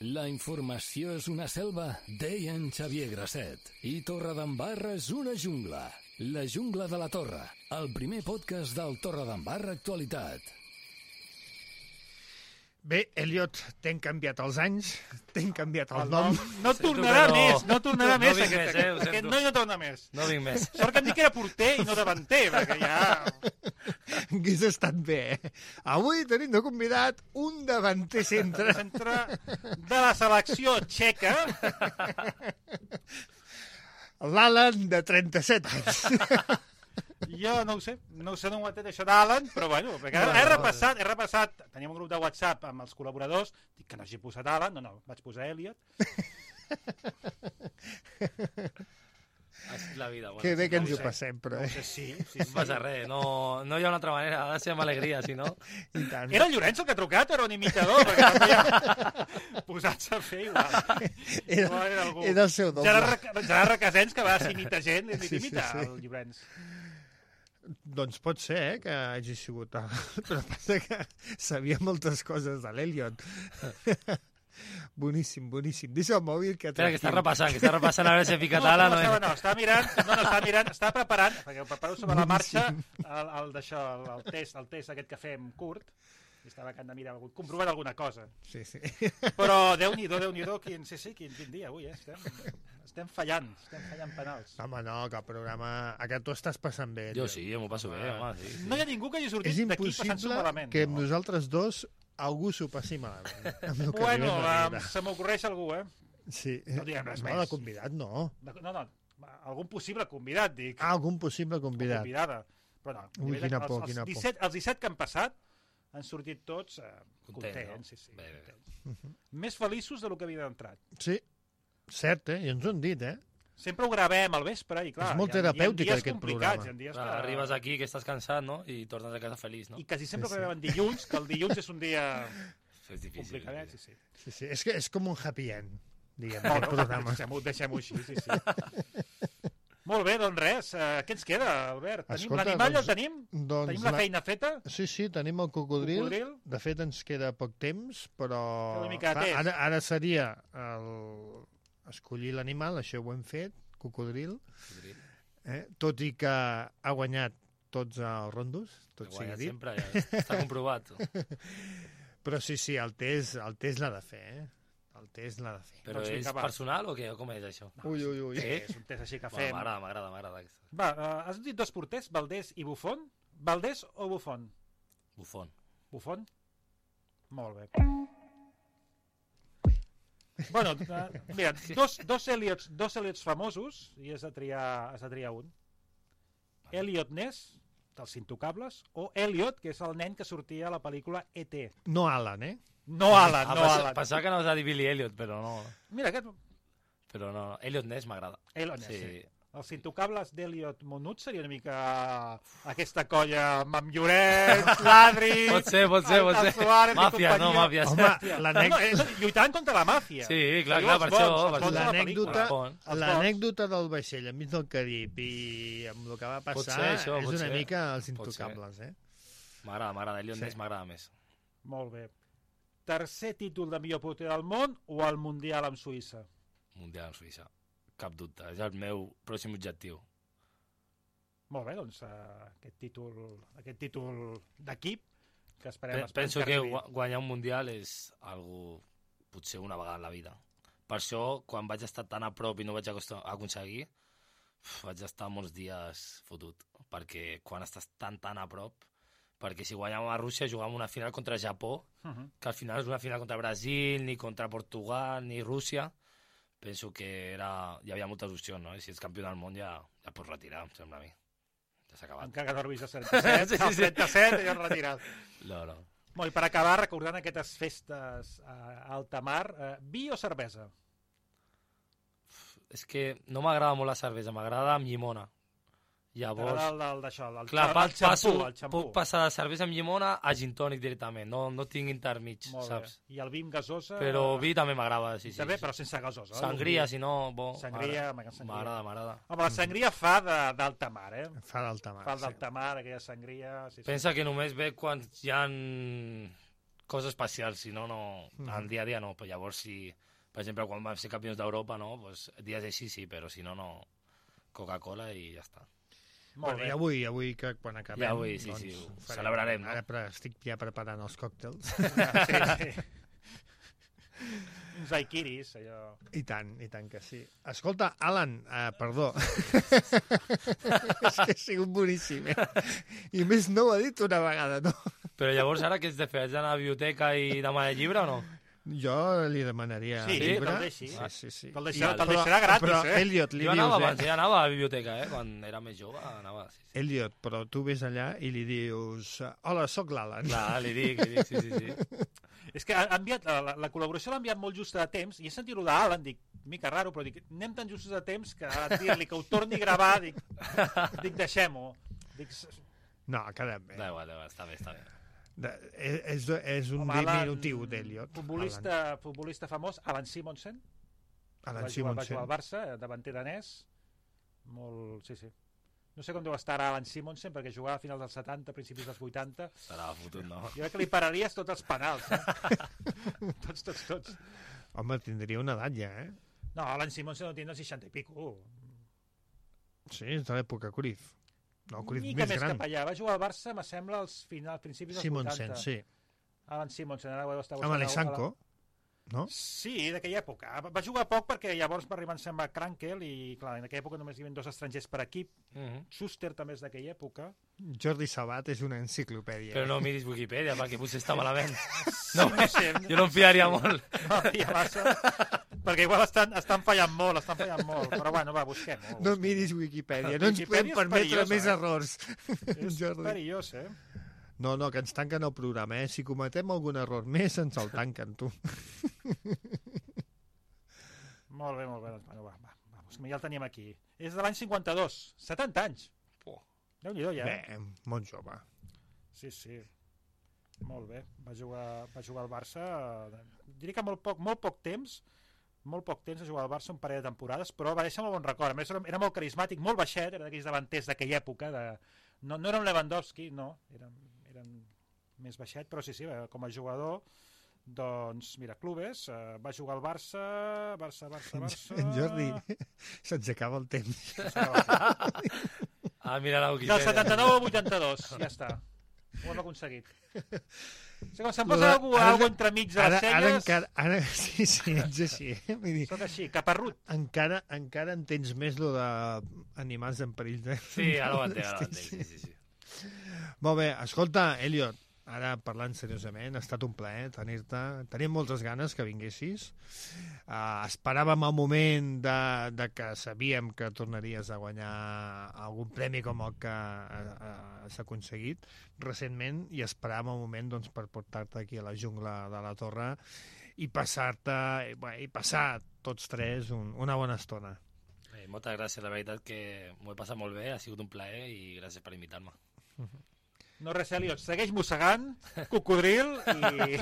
La informació és una selva, deia en Xavier Grasset. I Torredembarra és una jungla. La jungla de la Torre, el primer podcast del Torredembarra Actualitat. Bé, Elliot, t'hem canviat els anys, t'hem canviat el, el nom. No tornarà no. més, no tornarà no, més. No aquest, més, eh, aquest noi no torna més. No vinc més. Sort que em dic que era porter i no davanter, perquè ja... Hauria estat bé, eh? Avui tenim de convidat un davanter centre. Centre de la selecció txeca. L'Alan, de trenta-set anys. Jo no ho sé, no ho sé, no ho entenc això d'Alan, però bueno, perquè he repassat, he repassat, teníem un grup de WhatsApp amb els col·laboradors, dic que no hagi posat Alan, no, no, vaig posar Elliot. La vida, bueno, que bé que no ens ho sé. passem, però... No Eh? sé, sí, sí, No sí. passa res, no, no hi ha una altra manera, ha de ser amb alegria, si no... I tant. Era el Llorenç el que ha trucat, era un imitador, perquè també ja posats a fer igual. Era, No, era algú. era el seu doble. Gerard, Gerard Requesens, que va imitar gent, li Sí, sí, sí, imita sí. el Llorenç. Doncs pot ser, eh, que hagi sigut... El... Però passa que sabia moltes coses de l'Elliot. Boníssim, boníssim. Deixa el mòbil que... Espera, que està repassant, que està repassant a veure si he ficat ala, no, no, no, no, no, estava mirant, no, no, estava mirant, estava preparant, perquè ho preparo sobre la marxa, el, el d'això, el, el test, el test aquest que fem curt, i estava acabant de mirar, comprovant alguna cosa. Sí, sí. Però Déu-n'hi-do, Déu-n'hi-do, quin, sí, sí, quin, quin dia avui, eh? Estem, estem fallant, estem fallant penals. Home, no, que el programa... A que tu estàs passant bé. Jo Elliot. sí, jo m'ho passo bé, home, sí, sí. No hi ha ningú que hagi És sortit d'aquí passant-s'ho impossible malament. que amb no? nosaltres dos algú s'ho passi malament. Amb el que Bueno, arribem a um, viure. se m'ocorreix algú, eh? Sí. no diguem res no, més. de convidat no. De- No, no, algun possible convidat, dic. Ah, algun possible convidat. Convidada. Però no, Ui, nivell- quina els, por, els, quina por. disset, els disset que han passat han sortit tots eh, Content, contents, no? sí, sí, Bé, bé. contents. Més feliços del que havien entrat. Sí, cert, eh? I ens ho han dit, eh? Sempre ho gravem al vespre i clar, És molt hi ha, hi ha terapèutic, dies aquest complicats, programa. hi ha dies Clar, que... arribes aquí, que estàs cansat, no? I tornes a casa feliç, no? I quasi sempre Sí, sí, sí. gravem dilluns, que el dilluns és un dia És difícil. complicadet, sí, sí. Sí, sí. És que és com un happy end, diguem, No, aquest no, programa. deixem-ho deixem així, sí, sí. Molt bé, doncs res, eh, què ens queda, Albert? Tenim Escolta, l'animal, doncs- el tenim? Doncs Tenim la la- feina feta? Sí, sí, tenim el cocodril. Cocodril? De fet, ens queda poc temps, però... Fer una mica de clar, test. ara, ara seria el... escollir l'animal, això ho hem fet, cocodril, eh? Tot i que ha guanyat tots els rondos, tot sigui Guanyat dit. sempre, ja està comprovat. Però sí, sí, el test, el test l'ha de fer, eh? El test l'ha de fer. Però Doncs és vinga, va. personal o què? Com és això? Ui, ui, ui. Sí, és un test així que Bueno, fem. M'agrada, m'agrada, m'agrada. aquesta. Va, uh, has dit dos porters, Valdés i Buffon? Valdés o Buffon? Bufón. Buffon? Molt bé. Bueno, uh, mira, dos, dos, Elliots, dos Elliots famosos i has de triar, has de triar un. Elliot Ness, dels Intocables, o Elliot, que és el nen que sortia a la pel·lícula E T No Alan, eh? No Alan, Ah, no passa- Alan. Pensava que anaves a dir Billy Elliot, però no. Mira, aquest... Però no, Elliot Ness m'agrada. Elliot Ness, Sí. sí. Els Intocables d'Elliot Monut seria una mica aquesta colla amb amb Lloret, l'Adri... Pot ser, pot ser, el- pot el ser. Suárez i Màfia, no, companyia. màfia. Home, No, l'anècdota... és, lluitant contra la màfia. Sí, clar, Diu clar, els per bons, això, els per bons de la L'anècdota pel·lícula. Bon. Els l'anècdota del vaixell enmig del Carib i amb el que va Pot passar ser, això, és pot una ser. mica els Pot ser. intocables, eh? M'agrada, m'agrada. Elliot Sí. Ness m'agrada més. Molt bé. Tercer títol de millor porter del món o el Mundial amb Suïssa? Mundial en Suïssa. Cap dubte. És el meu pròxim objectiu. Molt bé, doncs uh, aquest títol, aquest títol d'equip que esperem, Pe- esperem Penso que arribi. gua- guanyar un Mundial és algo potser una vegada en la vida. Per això, quan vaig estar tan a prop i no vaig acost- aconseguir, uf, vaig estar molts dies fotut. Perquè quan estàs tan, tan a prop... Perquè si guanyàvem a Rússia, jugàvem una final contra Japó, Uh -huh. que al final és una final contra Brasil, ni contra Portugal, ni Rússia, penso que era, hi havia moltes opcions, no? I si ets campió del món ja, ja pots retirar, em sembla a mi. Ja s'ha acabat. Encara que dormis a trenta-set, sí, sí, sí. trenta-set ja has retirat. No, no. Molt, i per acabar, recordant aquestes festes a alta mar, eh, vi o cervesa? És que no m'agrada molt la cervesa, m'agrada amb llimona. Llavors... T'agrada el d'això, el, Clar, el, el xampú, passo, el xampú. Puc passar de cervesa amb llimona a gin tònic directament, no, no tinc intermig, Molt saps? Bé. I el vi amb gasosa... Però vi també m'agrada, sí, sí. També, sí. però sense gasosa. Sangria, si no, bo. Sangria, m'agrada, m'agrada. Home, la sangria fa d'alta mar, eh? Fa d'alta mar, Fa d'alta mar, aquella sangria... Sí, sí. Pensa que només ve quan hi ha coses especials, si no, no... Mm. En dia a dia no, però llavors si... Per exemple, quan vam ser campions d'Europa, no? Pues, dies així sí, però si no, no... Coca-Cola i ja està. Molt bé. I avui, avui que quan acabem... Ja avui, sí, doncs, sí, ho farem, celebrarem, no? Ara pre estic ja preparant els còctels. Sí, sí. Uns daiquiris, allò... I tant, i tant que sí. Escolta, Alan, uh, perdó. És que ha sigut boníssim, eh? I més no ho ha dit una vegada, no? Però llavors ara què has de fer? Has d'anar a la biblioteca i demanar llibre o no? Jo li demanaria sí, llibre. Te'l deixi. Sí, sí, sí. Te'l deixarà, te deixarà gratis, però, eh? Elliot, li jo dius, anava eh? abans, ja anava a la biblioteca, eh? Quan era més jove, anava... Sí, sí. Elliot, però tu ves allà i li dius hola, sóc l'Alan. Clar, li dic, li dic, sí, sí, sí. És que ha enviat, la, la col·laboració l'ha enviat molt just a temps, i he sentit-ho d'Alan, dic, mica raro, però dic, anem tan justos a temps que ara dir-li que ho torni a gravar, dic, dic deixem-ho. Dic... No, ha quedat bé. Da igual, da igual, està bé, està bé. De, és, és un Home, diminutiu d'Elliot. Futbolista, futbolista famós, Alan Simonsen. Alan va Simonsen. Va jugar al Barça, davanter danès. Molt... Sí, sí. No sé com deu estar ara Alan Simonsen, perquè jugava a finals dels setanta, principis dels vuitanta. Estarà fotut, no? Jo crec que li pararies tots els penals. Eh? tots, tots, tots. Home, tindria una edat ja, eh? No, Alan Simonsen no tindrà seixanta i pico. Sí, és de l'època Cruyff. No, Cruyff Mica més més gran. cap allà. Va jugar al Barça, me sembla, als finals, principis dels Simonsen, vuitanta. sí. Alan Simonsen, ara ho heu estat... Amb Alexanco, no? Sí, d'aquella època. Va jugar poc perquè llavors va arribar, em sembla, Krankel, i clar, en aquella època només hi havia dos estrangers per equip. Uh -huh. Schuster també és d'aquella època. Jordi Sabat és una enciclopèdia. Però no miris Wikipedia, perquè potser està malament. Sí, No, no sé. jo no em fiaria molt. No, ja massa. Perquè igual estan, estan fallant molt, estan fallant molt. Però bueno, va, busquem-ho. No miris Wikipedia, no ens podem Wikipedia és permetre perillosa, més eh? errors. És Jordi. perillós, eh? No, no, que ens tanquen el programa, eh? Si cometem algun error més, ens el tanquen, tu. Molt bé, molt bé. Doncs, bueno, va, va, vamos, ja el tenim aquí. És de l'any cinquanta-dos, setanta anys. Oh. Déu-n'hi-do, ja. Bé, molt jove. Sí, sí. Molt bé. Va jugar, va jugar al Barça, eh, diria que molt poc, molt poc temps, molt poc temps a jugar al Barça, un parell de temporades, però va deixar molt bon record. A més, era, era molt carismàtic, molt baixet, era d'aquells davanters d'aquella època. De... No, no era un Lewandowski, no, eren, eren més baixet, però sí, sí, com a jugador, doncs, mira, clubes, eh, va jugar al Barça, Barça, Barça, Barça... En Jordi, se'ns acaba el temps. Ah, mira la Del Wikipedia. setanta-nou al vuitanta-dos, ja està. Ho hem aconseguit. O sigui, com se'm posa Ara- algú, ara- algú entremig de les Ara, ara celles, encara... Ara, sí, sí, ets així. Eh? Vull dir, soc així, caparrut. encara, encara entens més lo d'animals en perill. De... Sí, ara ho entenc, ara ho entenc, sí, sí, sí. Molt bé, escolta, Elliot, ara parlant seriosament, ha estat un plaer tenir-te. Tenim moltes ganes que vinguessis. Uh, esperàvem el moment de, de que sabíem que tornaries a guanyar algun premi com el que uh, uh, s'ha aconseguit recentment, i esperàvem el moment doncs, per portar-te aquí a la jungla de la Torre i passar-te, bé, i passar tots tres un, una bona estona. Eh, moltes gràcies, la veritat que m'ho he passat molt bé, ha sigut un plaer i gràcies per invitar-me. No res, Eliot, segueix mossegant, cocodril, i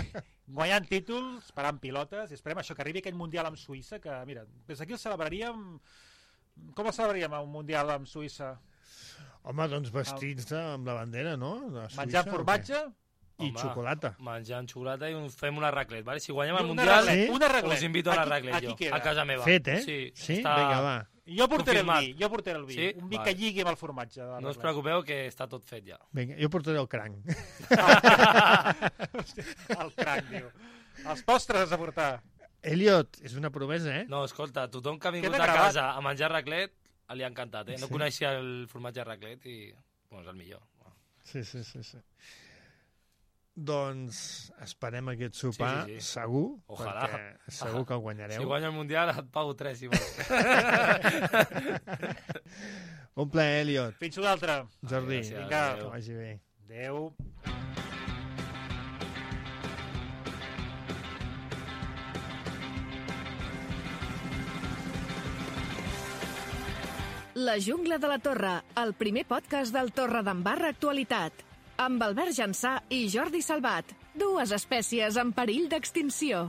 guanyant títols, parant pilotes, i esperem això, que arribi aquell Mundial amb Suïssa, que, mira, des d'aquí el celebraríem... Com el celebraríem, un Mundial amb Suïssa? Home, doncs vestits de, amb la bandera, no? De Suïssa, Menjant o formatge? què? I Home, xocolata. Menjant xocolata i un, fem una raclet, vale? Si guanyem el Una Mundial, raclet, una raclet. us invito a la Aquí- raclet aquí jo, queda. a casa meva. Fet, eh? Sí, Sí? està Vinga, va. Jo portaré confirmat. el vi, jo portaré el vi. Sí? Un vi Vale. que lligui amb el formatge. De la No us raclet. preocupeu que està tot fet ja. Vinga, jo portaré el cranc. El cranc, diu. Els postres has de portar. Elliot, és una promesa, eh? No, escolta, tothom que ha vingut Queda a gravat. casa a menjar raclet li ha encantat, eh? No Sí. coneixia el formatge de raclet i, bueno, és el millor. Sí, sí, sí, sí. Doncs esperem aquest sopar, Sí, sí, sí. segur, Ojalà. perquè segur que el guanyareu. Si guanya el Mundial et pago tres i molt. Un plaer, Elliot. Fins una altra. Jordi, Gràcies, vinga. que vagi bé. Adéu. La jungla de la Torre, el primer podcast del Torredembarra Actualitat. Amb Albert Jansà i Jordi Salvat, dues espècies en perill d'extinció.